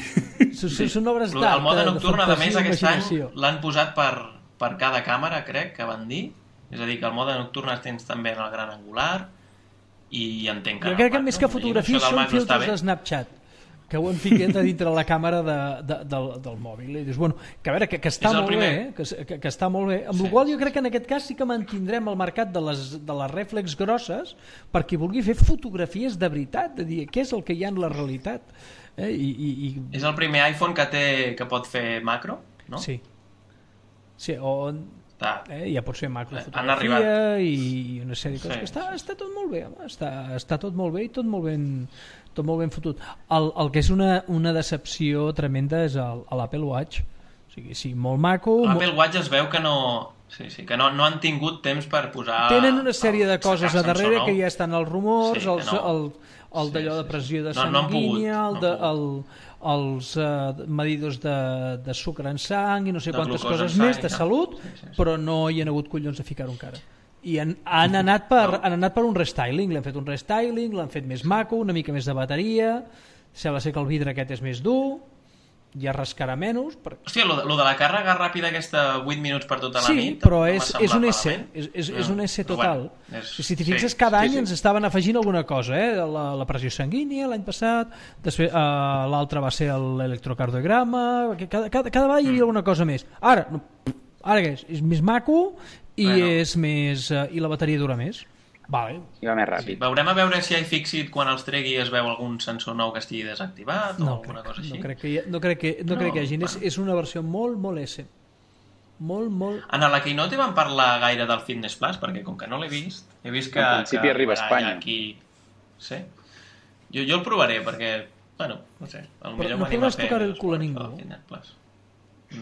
Són, sí. són obres d'art. El mode nocturn, a més, aquest any l'han posat per, per cada càmera, crec, que van dir. És a dir, que el mode nocturn es tens també en el gran angular i entenc que... Jo crec que més que fotografies són filtres de Snapchat que ho han ficat a dintre la càmera de, de, del, del mòbil. I dius, bueno, que a veure, que, que està molt primer. bé, que, que, que està molt bé. Amb sí. la qual jo crec que en aquest cas sí que mantindrem el mercat de les, de les rèflex grosses per qui vulgui fer fotografies de veritat, de dir què és el que hi ha en la realitat. Eh? I, i, i... És el primer iPhone que té que pot fer macro, no? Sí. Sí, o... Eh, ja pot ser macrofotografia i una sèrie de coses sí, que està, sí. està tot molt bé, home. Està, està tot molt bé i tot molt ben, tot molt ben fotut. El, el que és una, una decepció tremenda és l'Apple Watch. O sigui, sí, molt maco... L'Apple molt... Watch es veu que no... Sí, sí, que no, no han tingut temps per posar... Tenen una sèrie de coses a darrere que ja estan els rumors, sí, els, no. el, el d'allò sí, sí, de pressió de sanguínia, no, no el, de, el, els uh, medidors de, de sucre en sang i no sé de quantes coses sang, més de no. salut, sí, sí, sí. però no hi ha hagut collons de ficar-ho encara. I han, han, anat per, no. han anat per un restyling, l'han fet un restyling, l'han fet més maco, una mica més de bateria, sembla ser que el vidre aquest és més dur, ja rascarà menys. Per... Hòstia, lo de, lo de la càrrega ràpida aquesta vuit minuts per tota la sí, nit... Sí, però no és, és un S, és, és, és un S total. Bueno, és... Si t'hi fixes, sí, cada sí, any sí. ens estaven afegint alguna cosa, eh? la, la pressió sanguínia l'any passat, després uh, l'altre va ser l'electrocardiograma, cada, cada, cada vegada hi havia mm. alguna cosa més. Ara, no, ara què és? És més maco i, bueno. és més, uh, i la bateria dura més. Vale. I va més ràpid. Sí, veurem a veure si iFixit quan els tregui es veu algun sensor nou que estigui desactivat o no alguna crec, cosa així. No crec que hi, no crec que, no no, crec que hi hagi. És, és una versió molt, molt S. Molt, molt... En la Keynote van parlar gaire del Fitness Plus, perquè com que no l'he vist, he vist que... En principi que arriba a Espanya. Aquí... Sí. Jo, jo el provaré, perquè, bueno, no sé, potser Però no podràs tocar el cul a ningú.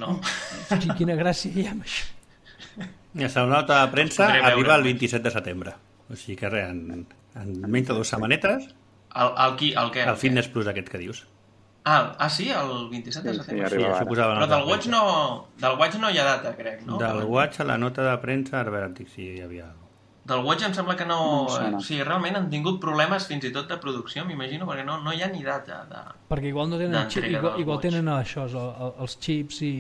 No. Sí, quina gràcia hi ha amb això. La nota de premsa arriba el vint-i-set de setembre. O sigui que res, en, en menys de dues setmanetes... El, el, qui, el què? El, el Fitness Plus aquest que dius. Ah, ah sí? El vint-i-set de setembre? Sí, sí, això posava però del Watch, no, del Watch no hi ha data, crec, no? Del Watch a la nota de premsa, a veure, antic, si hi havia... Del Watch em sembla que no... no o sigui, realment han tingut problemes fins i tot de producció, m'imagino, perquè no, no hi ha ni data de... Perquè igual no tenen, xip, igual, igual tenen això, els xips i,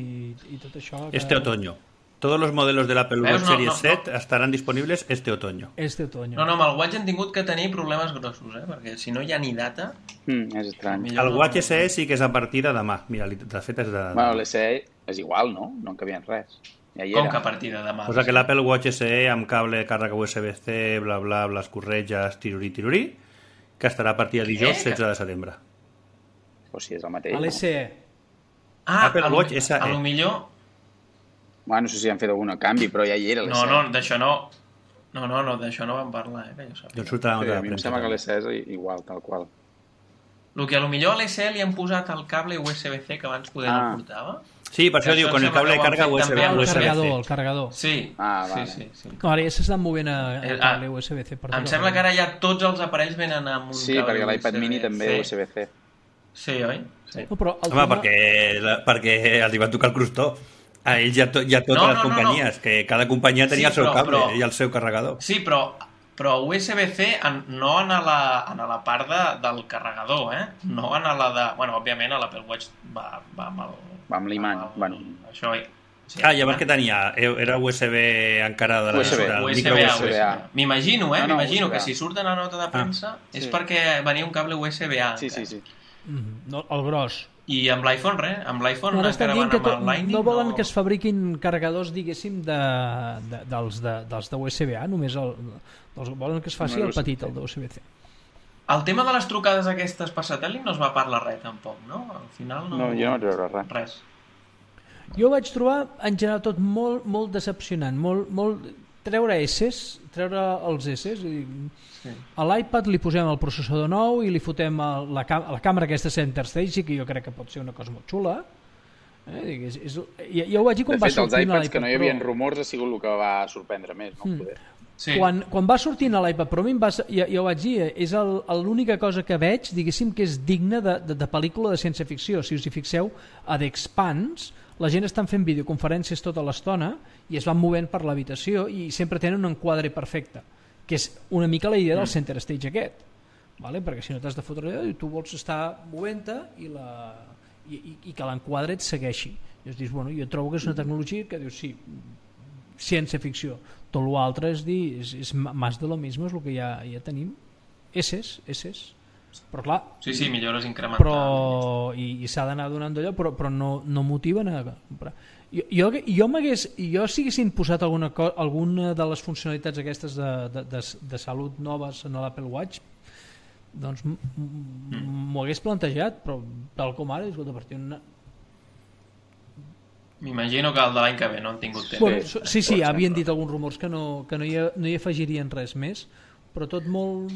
i tot això... Que... Este otoño. Todos los modelos del Apple Watch no, Series no, no. set estarán disponibles este otoño. Este otoño. No, no, amb el Watch han tingut que tenir problemes grossos, eh? Perquè si no hi ha ni data... Mm, és estrany. El Watch S E sí que és a partir de demà. Mira, de fet és de... Bueno, l'S E és igual, no? No en canvien res. Ja hi Com era. que a partir de demà? Posa que l'Apple Watch S E amb cable de càrrega U S B C, bla, bla, bla, les corretges, tirurí, tirurí, que estarà a partir de dijous setze de setembre. O sigui, és el mateix. L'S E. Ah, Apple a Watch S E. A lo millor... Bueno, no sé si han fet algun canvi, però ja hi era l'S E. No, no, d'això no... No, no, no, d'això no vam parlar, eh, que jo sàpiga. Doncs surta la nota sí, de a mi em premsa. sembla que l'S E és igual, tal qual. El que a lo millor a l'S E li han posat el cable U S B C que abans poder Ah. no portava. Sí, per això Això diu, em con el sembla cable de que ho han carga fet U S B també amb El U S B C. carregador, el carregador. Sí, Ah, vale. sí, sí, sí. No, ara ja s'estan movent a, a Eh, cable ah, U S B C. Per Em tot sembla el- que ara ja tots els aparells venen amb un Sí, cable perquè l'iPad U S B C. mini també U S B C. Sí, oi? Sí. No, però el Home, tema- perquè, la- perquè els hi va tocar el crustó. A ells i a, to, i a totes No, les no, no, companyies, no. que cada companyia tenia Sí, el seu però- cable però- i el seu carregador. Sí, però, però U S B C en, no en a la, en a la part de, del carregador, eh? No en a la de... Bueno, òbviament a l'Apple Watch va, va amb el... Va amb l'imant, amb el- bueno. Això, sí, Ah, llavors què tenia? Era U S B encara de la... U S B. del U S micro B A, U S B. U S B A. M'imagino, eh? No, no, M'imagino U S B A. que si surt en la nota de premsa és sí. perquè venia un cable U S B A. Sí, sí, sí. Mhm, no, el gros. I amb l'iPhone, res. Amb l'iPhone No, ara estan encara dient van que amb to, el Lightning. no volen que es fabriquin carregadors, diguéssim, de, de, dels, de, dels de U S B A, només el, els, volen que es faci No, el petit, el de U S B C. El tema de les trucades aquestes per satèl·lit no es va parlar res, tampoc, no? Al final no... No, jo no vaig veure res. Res. Jo vaig trobar, en general, tot molt, molt decepcionant, molt, molt... treure S's, treure els S's, i... Sí. A l'iPad li posem el processador nou i li fotem el, la, cam la càmera aquesta Center Stage, que jo crec que pot ser una cosa molt xula. Eh? És, és, ja, ja ho vaig dir quan De va fet, els sortir iPads que no hi havia Pro. rumors ha sigut el que va sorprendre més, no? Mm. Poder. Sí. Quan, quan va sortint a l'iPad Pro, a mi em va, ja, ja ho vaig dir, és l'única cosa que veig, diguéssim, que és digna de, de, de pel·lícula de ciència-ficció. Si us hi fixeu, a The Expanse, la gent estan fent videoconferències tota l'estona i es van movent per l'habitació i sempre tenen un enquadre perfecte, que és una mica la idea del Center Stage aquest, vale? Perquè si no t'has de fotre allò, tu vols estar movent-te i, la, i, i, i que l'enquadre et segueixi. I es dius, bueno, jo trobo que és una tecnologia que dius, sí, ciència-ficció. Tot l'altre és dir, és, és més de lo mismo, és el que ja, ja tenim. Esses, esses. Però clar, Sí, sí, millores incrementals. però, i, i s'ha d'anar donant d'allò, però, però no, no motiven a comprar. Jo, jo, jo m'hagués, jo si haguessin posat alguna, co alguna de les funcionalitats aquestes de, de, de, de salut noves en l'Apple Watch, doncs m'ho hagués plantejat, però tal com ara, escolta, per una... M'imagino que el de l'any que ve no han tingut temps. Bueno, Sí, sí, sí, pot havien ser, dit alguns rumors que no, que no, hi, no hi afegirien res més, però tot molt...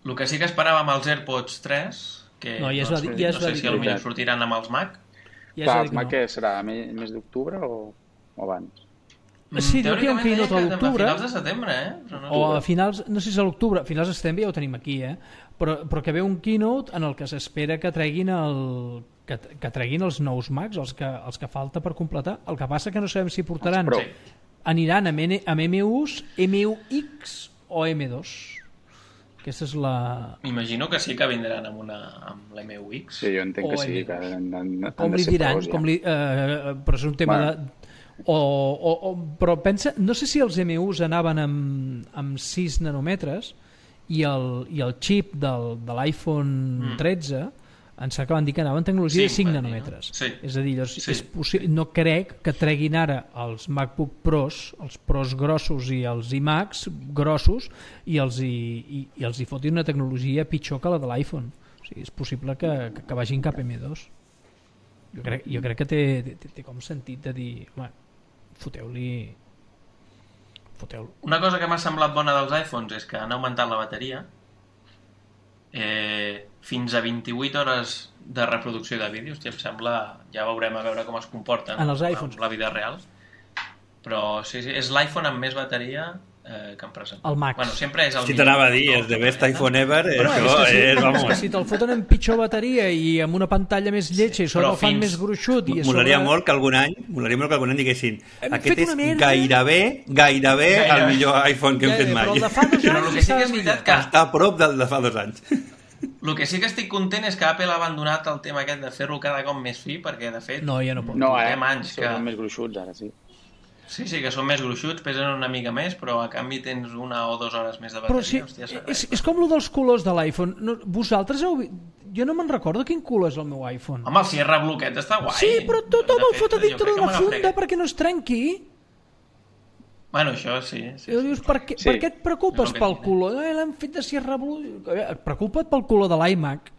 El que sí que esperàvem els AirPods tres, que No, ja es va doncs, dir- ja es no va sé dir si que potser no. sortiran amb els Mac. Ja Clar, s'ha el dit Mac que què serà? Mes, mes d'octubre o, o abans? Sí, diu que hi ha un Teòricament keynote a deia que l'octubre. A finals de setembre, eh? Però no... O a finals, no sé si a l'octubre, a finals de setembre ja ho tenim aquí, eh? però, però que ve un keynote en el que s'espera que treguin el, que, que treguin els nous Macs, els que, els que falta per completar. El que passa que no sabem si portaran, Els Pro. aniran amb, N, amb M Us, M U X o M dos. Aquesta és la... M'imagino que sí que vindran amb, una, amb l'M U X. Sí, jo entenc que O sí, M. que han, han, han Com de li ser diran, pros, ja. com li, eh, però és un tema Bueno. de... O, o, o, però pensa, no sé si els M Us anaven amb, amb sis nanòmetres i el, i el xip del, de l'iPhone Mm. tretze ens acaben dir que anaven tecnologia de Cinc, cinc van dir, no? nanòmetres. Sí. És a dir, llavors, Sí. és possi- no crec que treguin ara els MacBook Pros, els Pros grossos i els iMacs grossos i els hi, i, i els hi fotin una tecnologia pitjor que la de l'iPhone. O sigui, és possible que, que, que vagin cap M dos. Jo crec, jo crec que té, té, té com sentit de dir, home, foteu-li... Foteu-lo. Una cosa que m'ha semblat bona dels iPhones és que han augmentat la bateria eh, fins a vint-i-vuit hores de reproducció de vídeos. Hòstia, em sembla... Ja veurem a veure com es comporten En els iPhones. amb la vida real. Però sí, sí, és l'iPhone amb més bateria eh, que han presentat. El Max. Bueno, sempre és el Si millor. t'anava a dir, és the best iPhone ever, Però això és que si, és, és que vamos... si te'l foten amb pitjor bateria i amb una pantalla més lletja i sobre però el fan fins- més gruixut i a Molaria sobre... molt que algun any, molaria molt que algun any diguessin Hem aquest fet és una merda. gairebé, gairebé el Gairebé. millor iPhone que hem Ja, fet ja, mai. però el de fa dos Però anys el que sí que estava és veritat millor. que Està a prop del de fa dos anys. el que sí que estic content és que Apple ha abandonat el tema aquest de fer-lo cada cop més fi, perquè de fet No, ja no pot. No, ara Portem anys són que- més gruixuts, ara sí. sí, sí, que són més gruixuts, pesen una mica més, però a canvi tens una o dues hores més de Però bateria. sí, Hòstia, és, s'arregla. és com lo dels colors de l'iPhone. No, vosaltres heu... vi- Jo no me'n recordo quin color és el meu iPhone. Home, el Sierra Blue aquest està guai. Sí, però tothom De el fot a fet, jo dintre crec que d'una me funda n'afrega. perquè no es trenqui. Bueno, això sí. sí, I sí. dius, per què, Sí. per què et preocupes És el que pel tinc. color? Eh, l'hem fet de Sierra Blue. Eh, Preocupa't pel color de l'iMac.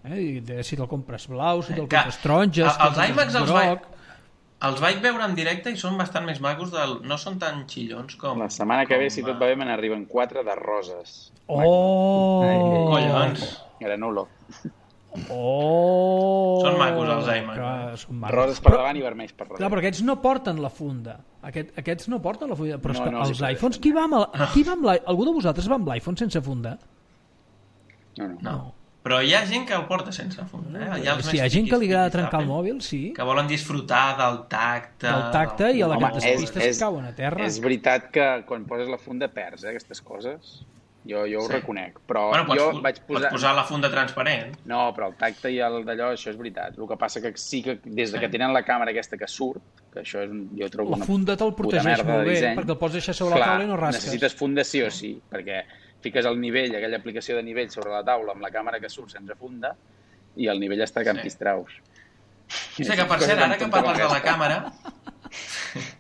Eh, i de, si te'l compres blau, si te'l Que compres taronja, si els te'l compres iMacs els vaig, groc... els vaig veure en directe i són bastant més macos, del, no són tan xillons com... La setmana que ve, com, si tot va bé, me n'arriben quatre de roses. Oh! Collons. Granulo. Oh! Són macos, els iMac. Que són macos. Roses per Però- davant i vermells per Clar, darrere. però aquests no porten la funda. Aquest, aquests no porten la funda. Però és No, que no, sí els que iPhones, sí. qui va amb, el, qui va amb l'i- algú de vosaltres va amb l'iPhone sense funda? No, no. No. Però hi ha gent que el porta sense funda. Eh? Hi ha, els Si hi ha més gent que li agrada tiquis, trencar el tiquis, mòbil, sí. que volen disfrutar del tacte... Del tacte i a la Home, que és- t'espistes és- cauen a terra. És veritat que quan poses la funda perds, eh, aquestes coses. Jo, jo ho Sí. reconec. Però Bueno, pots, jo vaig pots posar... posar la funda transparent. No, però el tacte i el d'allò, això és veritat. El que passa que sí que des de que tenen la càmera aquesta que surt, que això és, un- jo trobo La una funda te'l puta protegeix merda molt de bé, disseny. perquè el pots deixar sobre la Clar, taula i no rasques. necessites funda sí o sí, perquè fiques el nivell, aquella aplicació de nivell sobre la taula amb la càmera que surt sense funda i el nivell està campistraus. Sí, que per cert, ara que parles de la càmera,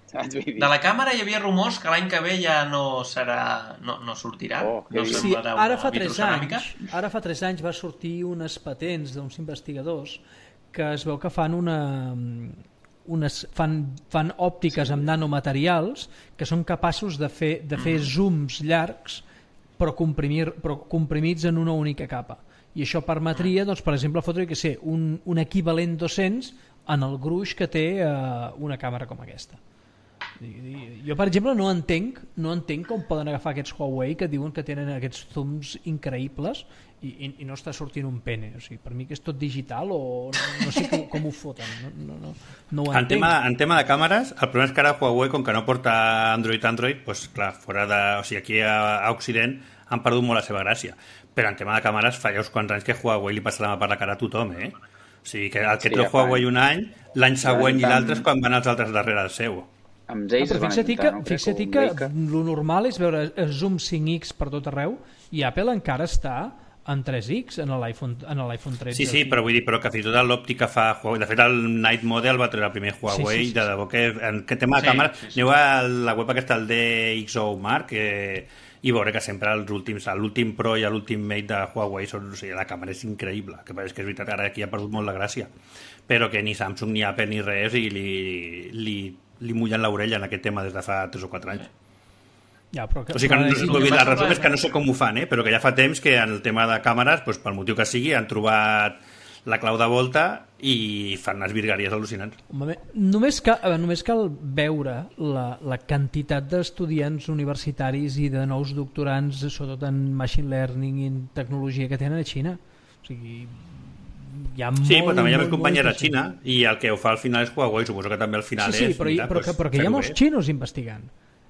Saps? Vull dir? de la càmera hi havia rumors que l'any que ve ja no serà, no, no sortirà. Oh, que no dius? Sí, semblarà ara una fa tres vitroceràmica. anys, ara fa tres anys va sortir unes patents d'uns investigadors que es veu que fan una unes, fan, fan òptiques amb nanomaterials que són capaços de fer, de fer zooms llargs però, comprimir, però comprimits en una única capa. I això permetria, doncs, per exemple, fotre que sé, un, un equivalent dos-cents en el gruix que té eh, una càmera com aquesta. Jo, per exemple, no entenc no entenc com poden agafar aquests Huawei que diuen que tenen aquests zooms increïbles i, i, i no està sortint un pene. O sigui, per mi que és tot digital o no, no sé com, com ho foten. No, no, no, no ho En entenc. tema, en tema de càmeres, el problema és que ara Huawei, com que no porta Android Android, doncs clar, fora de, o sigui, aquí a, a Occident han perdut molt la seva gràcia. Però en tema de càmeres fa ja uns quants anys que Huawei li passa la mà per la cara a tothom, eh? O sigui, que el que Sí, treu ja fa Huawei anys. un any, l'any següent i tant- l'altre és quan van els altres darrere del seu. Amb Ah, ells però es van fixa't que, intentar, no? Crec, fixa't o que amb Leica. lo normal és veure el zoom cinc ics per tot arreu i Apple encara està en tres ics en l'iPhone en l'iPhone tretze. Sí, sí, però vull dir, però que fins i tot l'òptic que fa Huawei, de fet el Night Model va treure el primer Huawei, Sí, sí, sí, de debò que en que tema de Sí, càmera, sí, sí. aneu a la web aquesta, el D X O Mark, que, i veure que sempre els últims, l'últim Pro i l'últim Mate de Huawei són, o sigui, la càmera és increïble, que és que és veritat, ara aquí ha perdut molt la gràcia, però que ni Samsung ni Apple ni res, i li, li, li mullen l'orella en aquest tema des de fa tres o quatre anys. Ja, però que, O sigui que, no, però- vull dir, la passa resum és- és que no sé com ho fan, eh? Però que ja fa temps que en el tema de càmeres, doncs, pel motiu que sigui, han trobat la clau de volta i fan unes virgueries al·lucinants. Home, només, cal, a veure, només cal veure la, la quantitat d'estudiants universitaris i de nous doctorants, sobretot en machine learning i en tecnologia que tenen a Xina. O sigui, hi ha Sí, molt, però també hi ha més molt, companyies a molta gent. Xina i el que ho fa al final és Huawei, suposo que també al final Sí, sí, és... però, hi, mira, però, doncs, que, però que hi ha fer-ho molts bé. xinos investigant.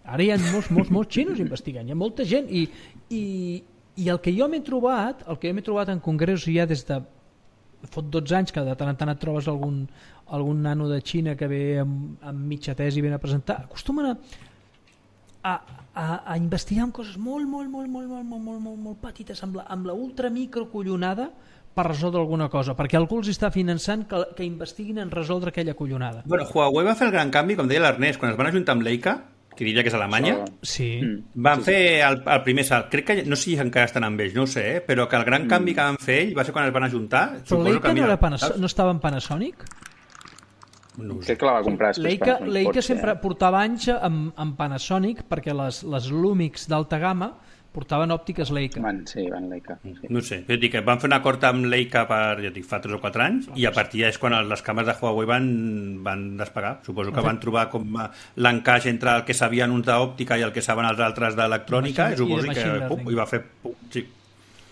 Ara hi ha molts, molts, molts xinos investigant. Hi ha molta gent i, i, I el que jo m'he trobat, el que jo m'he trobat en congressos ja des de fot dotze anys, que de tant en tant et trobes algun, algun nano de Xina que ve amb, amb mitja tesi i ven a presentar, acostumen a, a, a, a investigar en coses molt, molt, molt, molt, molt, molt, molt, molt, molt petites, amb la, amb la ultra microcollonada per resoldre alguna cosa, perquè algú els està finançant que, que investiguin en resoldre aquella collonada. Bueno, Huawei va fer el gran canvi, com deia l'Ernest, quan es van ajuntar amb Leica, que diria que és Alemanya, sí. van sí, fer el, el primer salt. Crec que, no sé si encara estan amb ells, no ho sé, eh? Però que el gran canvi que van fer ells va ser quan es van ajuntar. Però Leica no, era Panas- no estava en Panasonic? No crec que la va comprar després. Leica, Panasonic, Leica potser, sempre eh? portava anys amb, amb Panasonic perquè les, les Lumix d'alta gamma portaven òptiques Leica. Van, sí, van Leica. Sí. No sé, jo dic que van fer un acord amb Leica per, jo dic, fa tres o quatre anys, i a partir d'allà és quan les càmeres de Huawei van, van despegar. Suposo que van trobar com l'encaix entre el que sabien uns d'òptica i el que saben els altres d'electrònica, i suposo que pum, i va fer pum, sí.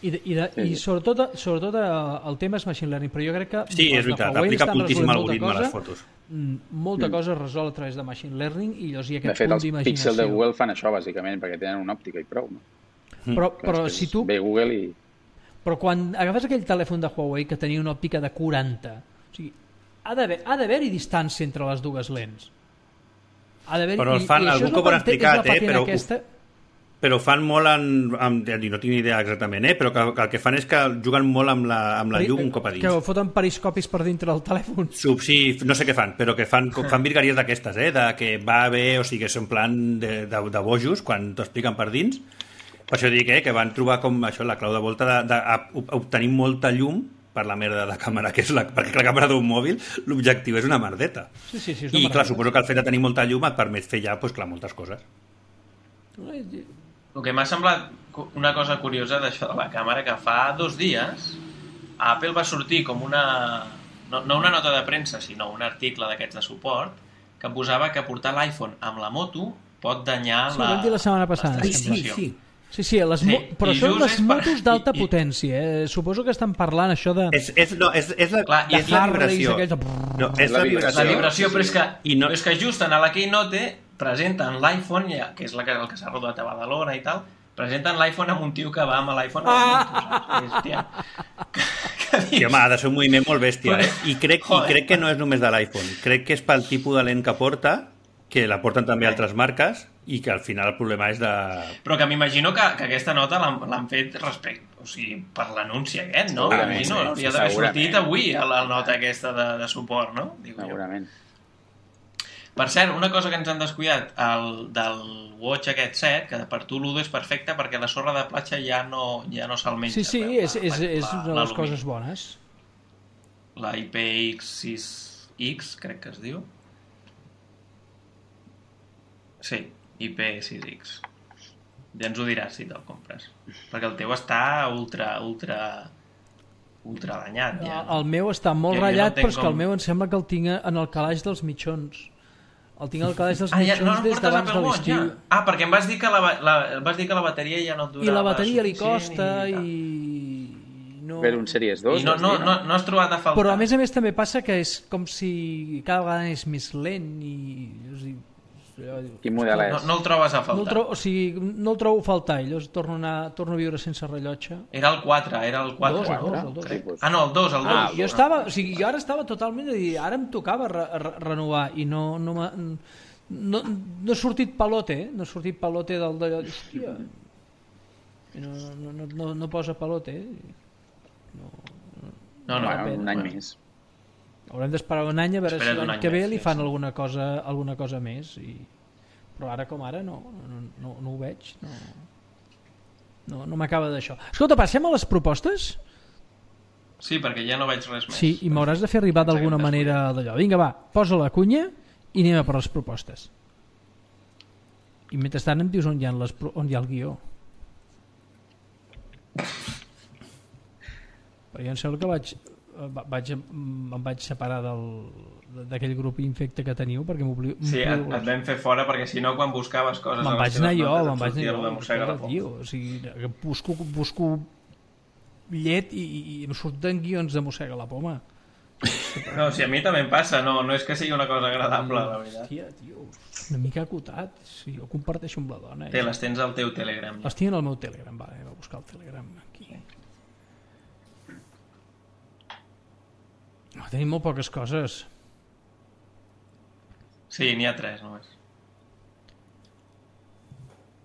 I, de, i, de, sí. i sobretot, sobretot el tema és machine learning, però jo crec que sí, és veritat, aplica moltíssim algoritme a les fotos. Molta mm. cosa es resol a través de machine learning i llavors hi ha aquest de fet, punt d'imaginació. Els píxels de Google fan això, bàsicament, perquè tenen una òptica i prou. No? Però, però si tu... Ve Google i... Però quan agafes aquell telèfon de Huawei que tenia una òptica de quaranta, o sigui, ha d'haver, ha d'haver-hi distància entre les dues lents. Ha d'haver-hi... Però el fan, algú que ho han explicat, eh? Però, aquesta... però fan molt en... amb, no tinc idea exactament, eh? Però que, que el que fan és que juguen molt amb la, amb la llum un cop a dins. Que foten periscopis per dintre del telèfon. Sub, sí, no sé què fan, però que fan, fan virgueries d'aquestes, eh? De que va bé, o sigui, que és en plan de, de, de bojos, quan t'ho expliquen per dins. Per això dic eh, que van trobar com això, la clau de volta d'obtenir molta llum per la merda de càmera, que és la, perquè la càmera d'un mòbil, l'objectiu és una merdeta. Sí, sí, sí, és I una clar, merdeta. suposo que el fet de tenir molta llum et permet fer ja pues, clar, moltes coses. El que m'ha semblat una cosa curiosa d'això de la càmera, que fa dos dies a Apple va sortir com una... No, no una nota de premsa, sinó un article d'aquests de suport que posava que portar l'iPhone amb la moto pot danyar sí, la... Sí, ho vam dir la setmana passada. Sí, sí, sí. Sí, sí, les sí, però això són les motos per... d'alta I, i... potència. Eh? Suposo que estan parlant això de... És, és, no, és, és la, Clar, és la vibració. De... No, és la vibració. La vibració, però és que, I no... però és que just en la Keynote presenten l'iPhone, que és la que, el que s'ha rodat a Badalona i tal, presenten l'iPhone amb un tio que va amb l'iPhone a la moto, saps? Hòstia. Sí, home, ha de ser un moviment molt bèstia, eh? I crec, I crec que no és només de l'iPhone. Crec que és pel tipus de lent que porta, que la porten també altres marques, i que al final el problema és de... Però que m'imagino que, que aquesta nota l'han fet respecte, o sigui, per l'anunci aquest, no? Segurament, no, sí, hauria d'haver segurament. sortit avui a la nota aquesta de, de suport, no? Digo segurament. Jo. Per cert, una cosa que ens han descuidat, el, del Watch aquest set, que per tu l'U D O és perfecte perquè la sorra de platja ja no, ja no se'l menja. Sí, sí, la, és, és, la, és una de les coses bones. La I P X sis X, crec que es diu. Sí, I P sis X. Ja ens ho diràs si te'l compres. Perquè el teu està ultra, ultra, ultra danyat. Ja. El meu està molt jo, ratllat, jo no però és que com... el meu em sembla que el tinc en el calaix dels mitjons. El tinc al calaix dels ah, ja, mitjons no, no des d'abans de l'estiu. Ja. Ah, perquè em vas dir que la, la, vas dir que la bateria ja no et durava. I la bateria li costa i... i... No... Ver un Series dos. I no, no, no, no has trobat a faltar. Però a més a més també passa que és com si cada vegada és més lent i... O sigui, quin model és? No, no el trobes a faltar. No el, trobo, o sigui, no el trobo a faltar, i llavors torno a, anar, torno a viure sense rellotge. Era el quatre, era el quatre. Dos, el dos, el dos. Sí, pues. Ah, no, el dos, el dos. Ah, jo estava, o sigui, jo ara estava totalment de dir, ara em tocava re, re, renovar i no, no, m'ha, no, no he sortit palote, eh? No he sortit palote del d'allò, hòstia, no, no, no, no, no posa palote, eh? No, no, no, bueno, un any bueno. més. Haurem d'esperar un any a veure Espera't si un l'any any que ve més, li sí, fan sí. alguna cosa, alguna cosa més i... però ara com ara no, no, no, no ho veig, no, no, no m'acaba d'això. Escolta, passem a les propostes? Sí, perquè ja no veig res més. Sí, i m'hauràs de fer arribar d'alguna manera d'allò. Vinga, va, posa la cunya i anem a per les propostes. I mentrestant em dius on hi ha, les, on hi ha el guió. Però jo em sembla que vaig, vaig, em vaig separar d'aquell grup infecte que teniu perquè m'oblido... Sí, et, et vam fer fora perquè si no quan buscaves coses... Me'n vaig anar jo, me'n vaig anar jo. Escolta, tio, o sigui, busco, busco llet i, i em surten guions de mossega la poma. No, si a mi també em passa, no, no és que sigui una cosa agradable, la veritat. Hòstia, tio, una mica acotat. Sí, jo comparteixo amb la dona. Té, les tens al teu Telegram. Les tinc al meu Telegram, va, va buscar el Telegram aquí. No, tenim molt poques coses. Sí, n'hi ha tres, només.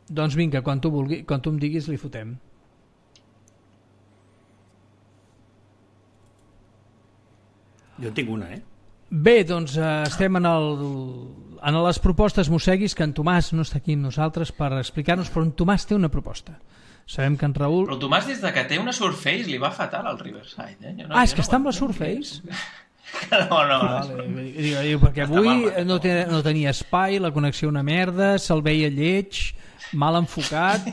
Doncs vinga, quan tu, vulgui, quan tu em diguis li fotem. Jo en tinc una, eh? Bé, doncs eh, estem en, el, en les propostes mosseguis, que en Tomàs no està aquí amb nosaltres per explicar-nos, però en Tomàs té una proposta. Sabem que en Raül... Però el Tomàs, des de que té una Surface, li va fatal al Riverside, eh? Jo no, ah, és jo que no està amb la Surface? No, no. Vale, digo, digo, perquè avui no, té, no tenia espai, la connexió una merda, se'l veia lleig, mal enfocat,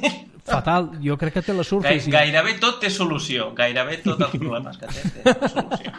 fatal. Jo crec que té la Surface. Gai, gairebé tot té solució. Gairebé tots els problemes que té té solució.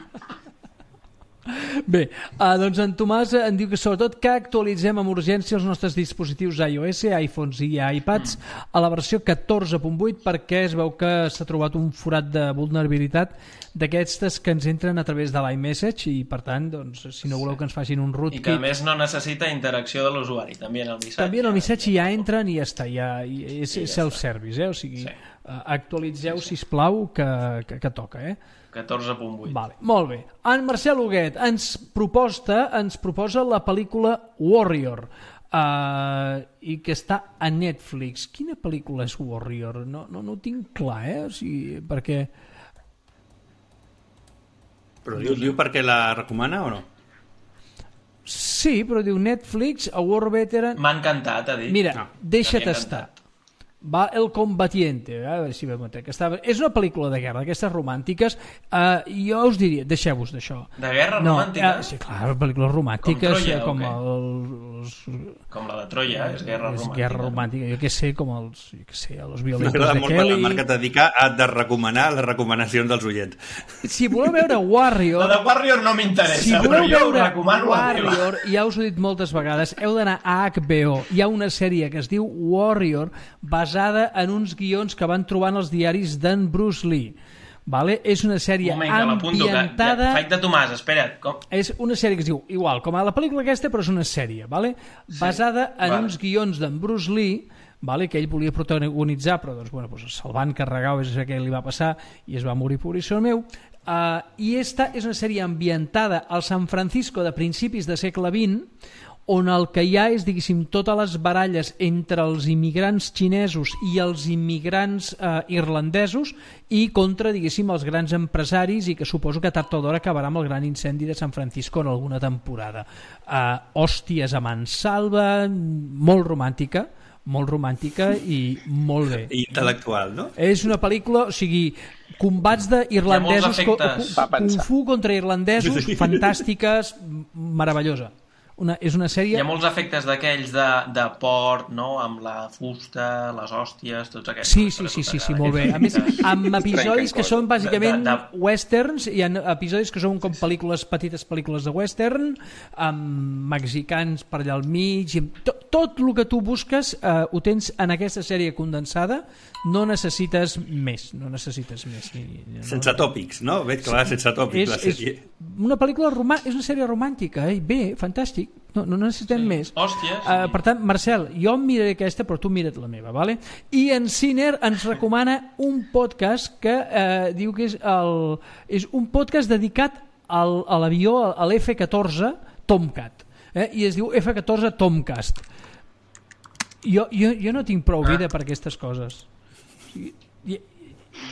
Bé, uh, doncs en Tomàs en diu que sobretot que actualitzem amb urgència els nostres dispositius iOS, iPhones i iPads a la versió catorze punt vuit perquè es veu que s'ha trobat un forat de vulnerabilitat d'aquestes que ens entren a través de l'iMessage i per tant, doncs, si no voleu que ens facin un rootkit... I que a més no necessita interacció de l'usuari, també en el missatge. També en el missatge ja entren i ja està, ja, és sí, ja self-service, eh? O sigui, sí. uh, actualitzeu, sisplau, que, que, que toca, eh? catorze punt vuit. Vale, molt bé. En Marcel Huguet ens proposta, ens proposa la pel·lícula Warrior uh, i que està a Netflix. Quina pel·lícula és Warrior? No, no, no ho tinc clar, eh? O sigui, perquè... Però diu, diu per què la recomana o no? Sí, però diu Netflix, a War Veteran... M'ha encantat, ha dit. Mira, no, deixa't estar. Va El Combatiente, a veure si veiem que estava... És una pel·lícula de guerra, d'aquestes romàntiques. Uh, jo us diria, deixeu-vos d'això. De guerra no, romàntica? Uh, sí, clar, pel·lícules romàntiques. Com Troia, com, okay. els, com la de Troia, és guerra és romàntica. guerra romàntica, jo què sé, com els, jo què sé, els violentos M'agrada de molt Kelly. la Marc et dedica a de recomanar les recomanacions dels oients. Si voleu veure Warrior... La de Warrior no m'interessa, si però jo veure recomano Warrior, ja us ho he dit moltes vegades, heu d'anar a H B O. Hi ha una sèrie que es diu Warrior, basada en uns guions que van trobant els diaris d'en Bruce Lee. Vale? És una sèrie un moment, ambientada... Faig de Tomàs, espera't. Com? És una sèrie que es diu igual, com a la pel·lícula aquesta, però és una sèrie, vale? Sí. Basada en vale. uns guions d'en Bruce Lee, vale? Que ell volia protagonitzar, però doncs, bueno, doncs se'l van carregar, o és què li va passar, i es va morir pobríssim meu. Uh, I esta és una sèrie ambientada al San Francisco de principis de segle vint, on el que hi ha és, diguéssim, totes les baralles entre els immigrants xinesos i els immigrants eh, irlandesos i contra, diguéssim, els grans empresaris i que suposo que tard o d'hora acabarà amb el gran incendi de San Francisco en alguna temporada. Eh, hòsties a mansalva, molt romàntica, molt romàntica i molt bé. Intel·lectual, no? És una pel·lícula, o sigui, combats d'irlandesos, kung fu contra irlandesos, fantàstiques, meravellosa. Una, és una sèrie... Hi ha molts efectes d'aquells de, de port, no? Amb la fusta, les hòsties, tots aquests. Sí, sí, sí, sí, sí, molt bé. A més, amb episodis que són bàsicament de, de... westerns, hi ha episodis que són com pel·lícules, petites pel·lícules de western, amb mexicans per allà al mig, tot, tot el que tu busques eh, ho tens en aquesta sèrie condensada, no necessites més, no necessites més. No? Sense tòpics, no? Veig que va sense tòpics és, la sèrie. És una pel·lícula romà... és una sèrie romàntica, eh? Bé, fantàstic. No, no necessitem sí. més. Hòsties. Uh, per tant, Marcel, jo em miraré aquesta, però tu mira't la meva, vale? I en Ciner ens recomana un podcast que uh, diu que és, el, és un podcast dedicat al, a l'avió, a l'F catorze Tomcat, eh? I es diu F catorze Tomcast. Jo, jo, jo no tinc prou vida per aquestes coses.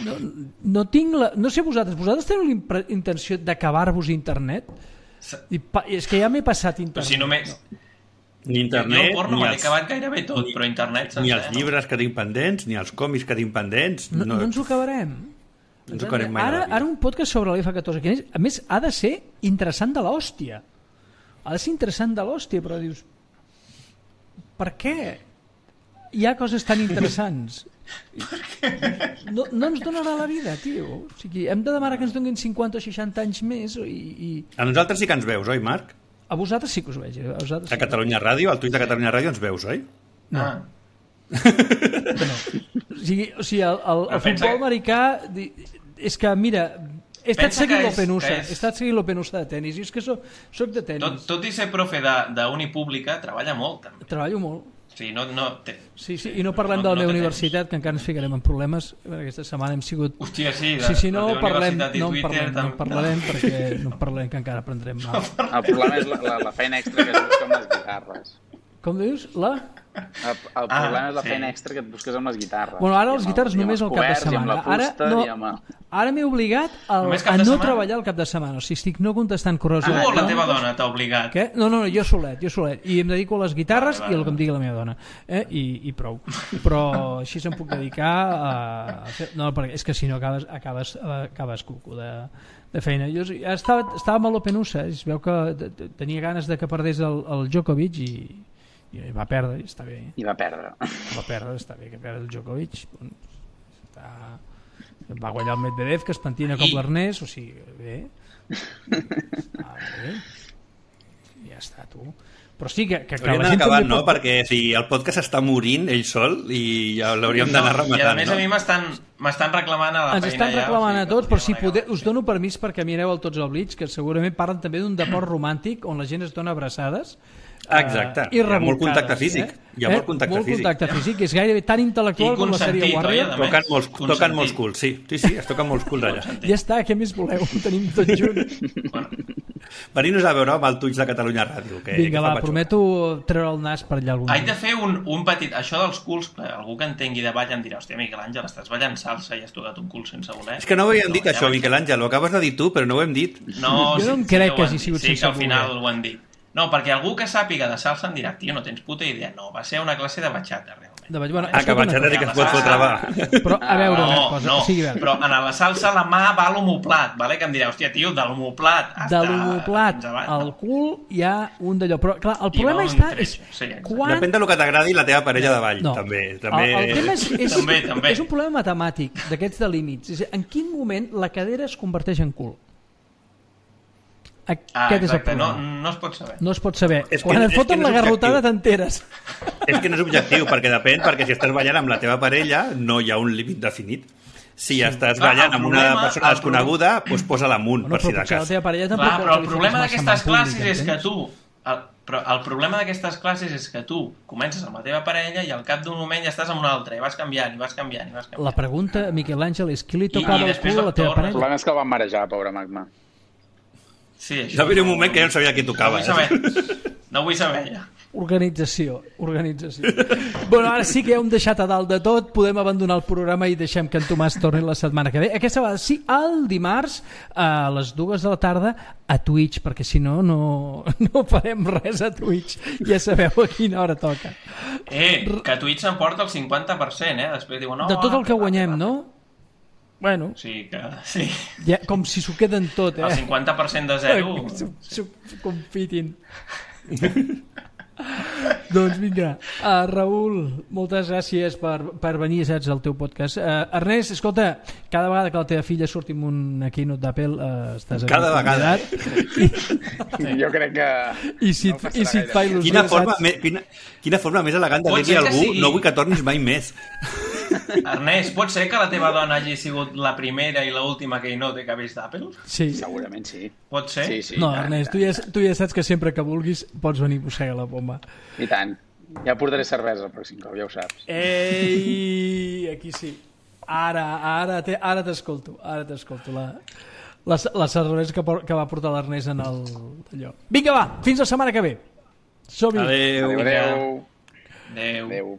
No, no tinc la... No sé vosaltres, vosaltres teniu la intenció d'acabar-vos internet? I pa, és que ja m'he passat internet. Però si només... No. Ni internet, jo el porno ni m'he acabat gairebé tot, ni, però internet sencer, ni els llibres que tinc pendents, ni els còmics que tinc pendents. No, no, no ens ho acabarem. No ens ho acabarem mai. Ara, ara un podcast sobre l'F catorze, que a més ha de ser interessant de l'hòstia. Ha de ser interessant de l'hòstia, però dius... Per què hi ha coses tan interessants? No, no ens donarà la vida, tio. O sigui, hem de demanar que ens donin cinquanta o seixanta anys més i, i... A nosaltres sí que ens veus, oi, Marc? A vosaltres sí que us veig. A, vosaltres sí. A Catalunya Ràdio, al tuit de Catalunya Ràdio ens veus, oi? No. Ah. no. O sigui, o sigui el, el, el futbol americà és que, mira, he estat Pensa seguint que és- l'Open U S A, que és- he estat seguint l'Open U S A de tenis, i és que soc, soc de Tot, tenis, tot i ser profe de- d'uni pública, treballa molt, també. treballo molt. O sigui, no... no té... Sí, sí, i no parlem No- de la no meva té universitat, que encara ens ficarem en problemes. Aquesta setmana hem sigut... Hòstia, sí, de, Sí, sí, no la teva parlem, universitat i no en Twitter... parlem, no en tam- parlarem, perquè no en parlem, que encara aprendrem mal. El problema és la, la, la feina extra que es busca amb les guitarres. Com dius? La? El, el problema és la sí. feina extra que et busques amb les guitarres. Bueno, ara I les amb el- guitarres i amb només els al cap de coberts, i amb setmana. la Ara, fusta, no, i amb el... ara m'he obligat al, Només cap a de no setmana? treballar el cap de setmana. O sigui, estic no contestant correus. Tu o la electrònics. teva dona t'ha obligat? Què? No, no, no, jo solet, jo solet. I em dedico a les guitarres Vale, vale, i al que em digui la meva dona. Eh? I, I prou. Però així se'm puc dedicar a... a fer... No, perquè és que si no acabes, acabes, acabes cuco de, de feina. Jo estava, estava amb l'Open U S A, es veu que tenia ganes de que perdés el, el Djokovic i, i va perdre, i està bé. I va perdre. Va perdre, està bé que perdre el Djokovic. Està... Va guanyar el Medvedev, que es pentina com I- l'Ernest, o sigui, bé. Està bé. Ja està, tu. Però sí que, que, que Hauríem la d'anar gent acabant, també no? pot... Perquè si el podcast està morint ell sol i ja l'hauríem d'anar No, I a rematant, més no? a mi m'estan m'estan reclamant a la Ens feina estan ja, reclamant o a sigui, tots, que però si podríem poder, acabar. us dono permís perquè mireu el Tots al Blitz, que segurament parlen també d'un deport romàntic on la gent es dona abraçades. Exacte. eh, Hi ha molt rebolcades, contacte físic. Eh? Hi ha molt contacte molt físic. contacte físic, és gairebé tan intel·lectual I com la sèrie consentit, oi, Warrior. a més? Toquen molts, toquen Consentit. molts culs, sí. Sí, sí, es toquen molts culs allà. Ja està, què més voleu? Ho tenim tot junt. Venir-nos a veure amb el Twitch de Catalunya Ràdio. Que, Vinga, que va, fa patxoca. prometo treure el nas per allà algun Haig de dia. fer un, un petit... Això dels culs, clar, algú que entengui de ball em dirà, hòstia, Miquel Àngel, estàs ballant salsa i has tocat un cul sense voler. És que no ho havíem dit ja això, vaig- Miquel Àngel, ho acabes de dir tu, però no ho hem dit. No, Jo no sí, em crec ho que han hagi dit. sigut sí, sense que al final voler. ho han dit. No, perquè algú que sàpiga de salsa em dirà, tio, no tens puta idea. No, va ser una classe de batxata, realment. De, bueno, Ah, que escolta una batxata sí cosa. que es pot fotre, va. Però, a veure una No, cosa, no, o sigui, a veure, però en la salsa la mà va a l'homoplat, vale? Que em dirà, hòstia, tio, de l'homoplat de l'homoplat al cul hi ha un d'allò. Però, clar, el I problema va un està... tret, És sí, exacte. quan... Depèn del que t'agradi la teva parella de ball, No. també. també... El, el tema és, és, També, també. és un problema matemàtic d'aquests de límits. És, en quin moment la cadera es converteix en cul? Aquest Ah, és el exacte, no, problema. no es pot saber. No es pot saber. És que- Quan et és foten que no la és garrotada objectiu. t'enteres. És que no és objectiu, perquè depèn, perquè si estàs ballant amb la teva parella no hi ha un límit definit. Si estàs Clar, ballant el amb una problema- persona el desconeguda, doncs posa-la amunt, Bueno, per si però de potser la cas. teva parella tampoc Clar, vol però que el li problema fotis massa d'aquestes en públic, classes és que entens? tu... El, però el problema d'aquestes classes és que tu comences amb la teva parella i al cap d'un moment ja estàs amb una altra i vas canviant, i vas canviant, i vas canviant. La pregunta, Miquel Àngel, és qui li I- tocava i el després cul a la teva tornes. El parella? problema és que el van marejar, pobre Magma. Sí, això... Va haver un moment que jo no sabia qui No tocava. vull Eh? saber, no vull saber ja. Organització, organització. Bueno, ara sí que ja hem deixat a dalt de tot, podem abandonar el programa i deixem que en Tomàs torni la setmana que ve. Aquesta vegada sí, el dimarts a les dues de la tarda a Twitch, perquè si no, no, no farem res a Twitch. Ja sabeu a quina hora toca. Eh, que Twitch s'emporta el cinquanta per cent, eh? Després diuen... No, De tot el que va, guanyem, va. no? Bueno, Sí, que... Sí. ja, com si s'ho queden tot, El eh? cinquanta per cent de zero... S'ho- s'ho confitin. Doncs vinga, uh, Raül, moltes gràcies per, per venir, saps, al teu podcast. Uh, Ernest, escolta, cada vegada que la teva filla surti amb una keynote d'Apple uh, estàs aquí Cada vegada. convidat. Jo crec que... I si, no i si et fa il·lusió, Quina forma, saps? me, quina, quina forma més elegant de Pot dir-li ser a que algú sigui- no vull que tornis mai més. Ernest, pot ser que la teva dona hagi sigut la primera i l'última keynote que ha vist d'Apple? Sí. Segurament sí. Pot ser? Sí, sí. No, i tant, Ernest, tu i ja, tant. tu ja saps que sempre que vulguis pots venir a mossegar la bomba. I tant. Ja portaré cervesa el pròxim cop, ja ho saps. Ei, aquí sí. Ara, ara, te, ara t'escolto, ara t'escolto la, la, la cervesa que, por, que va portar l'Ernest en el allò. Vinga, va, fins la setmana que ve. Som-hi. Adéu. Adéu, adéu. Adéu. Adéu.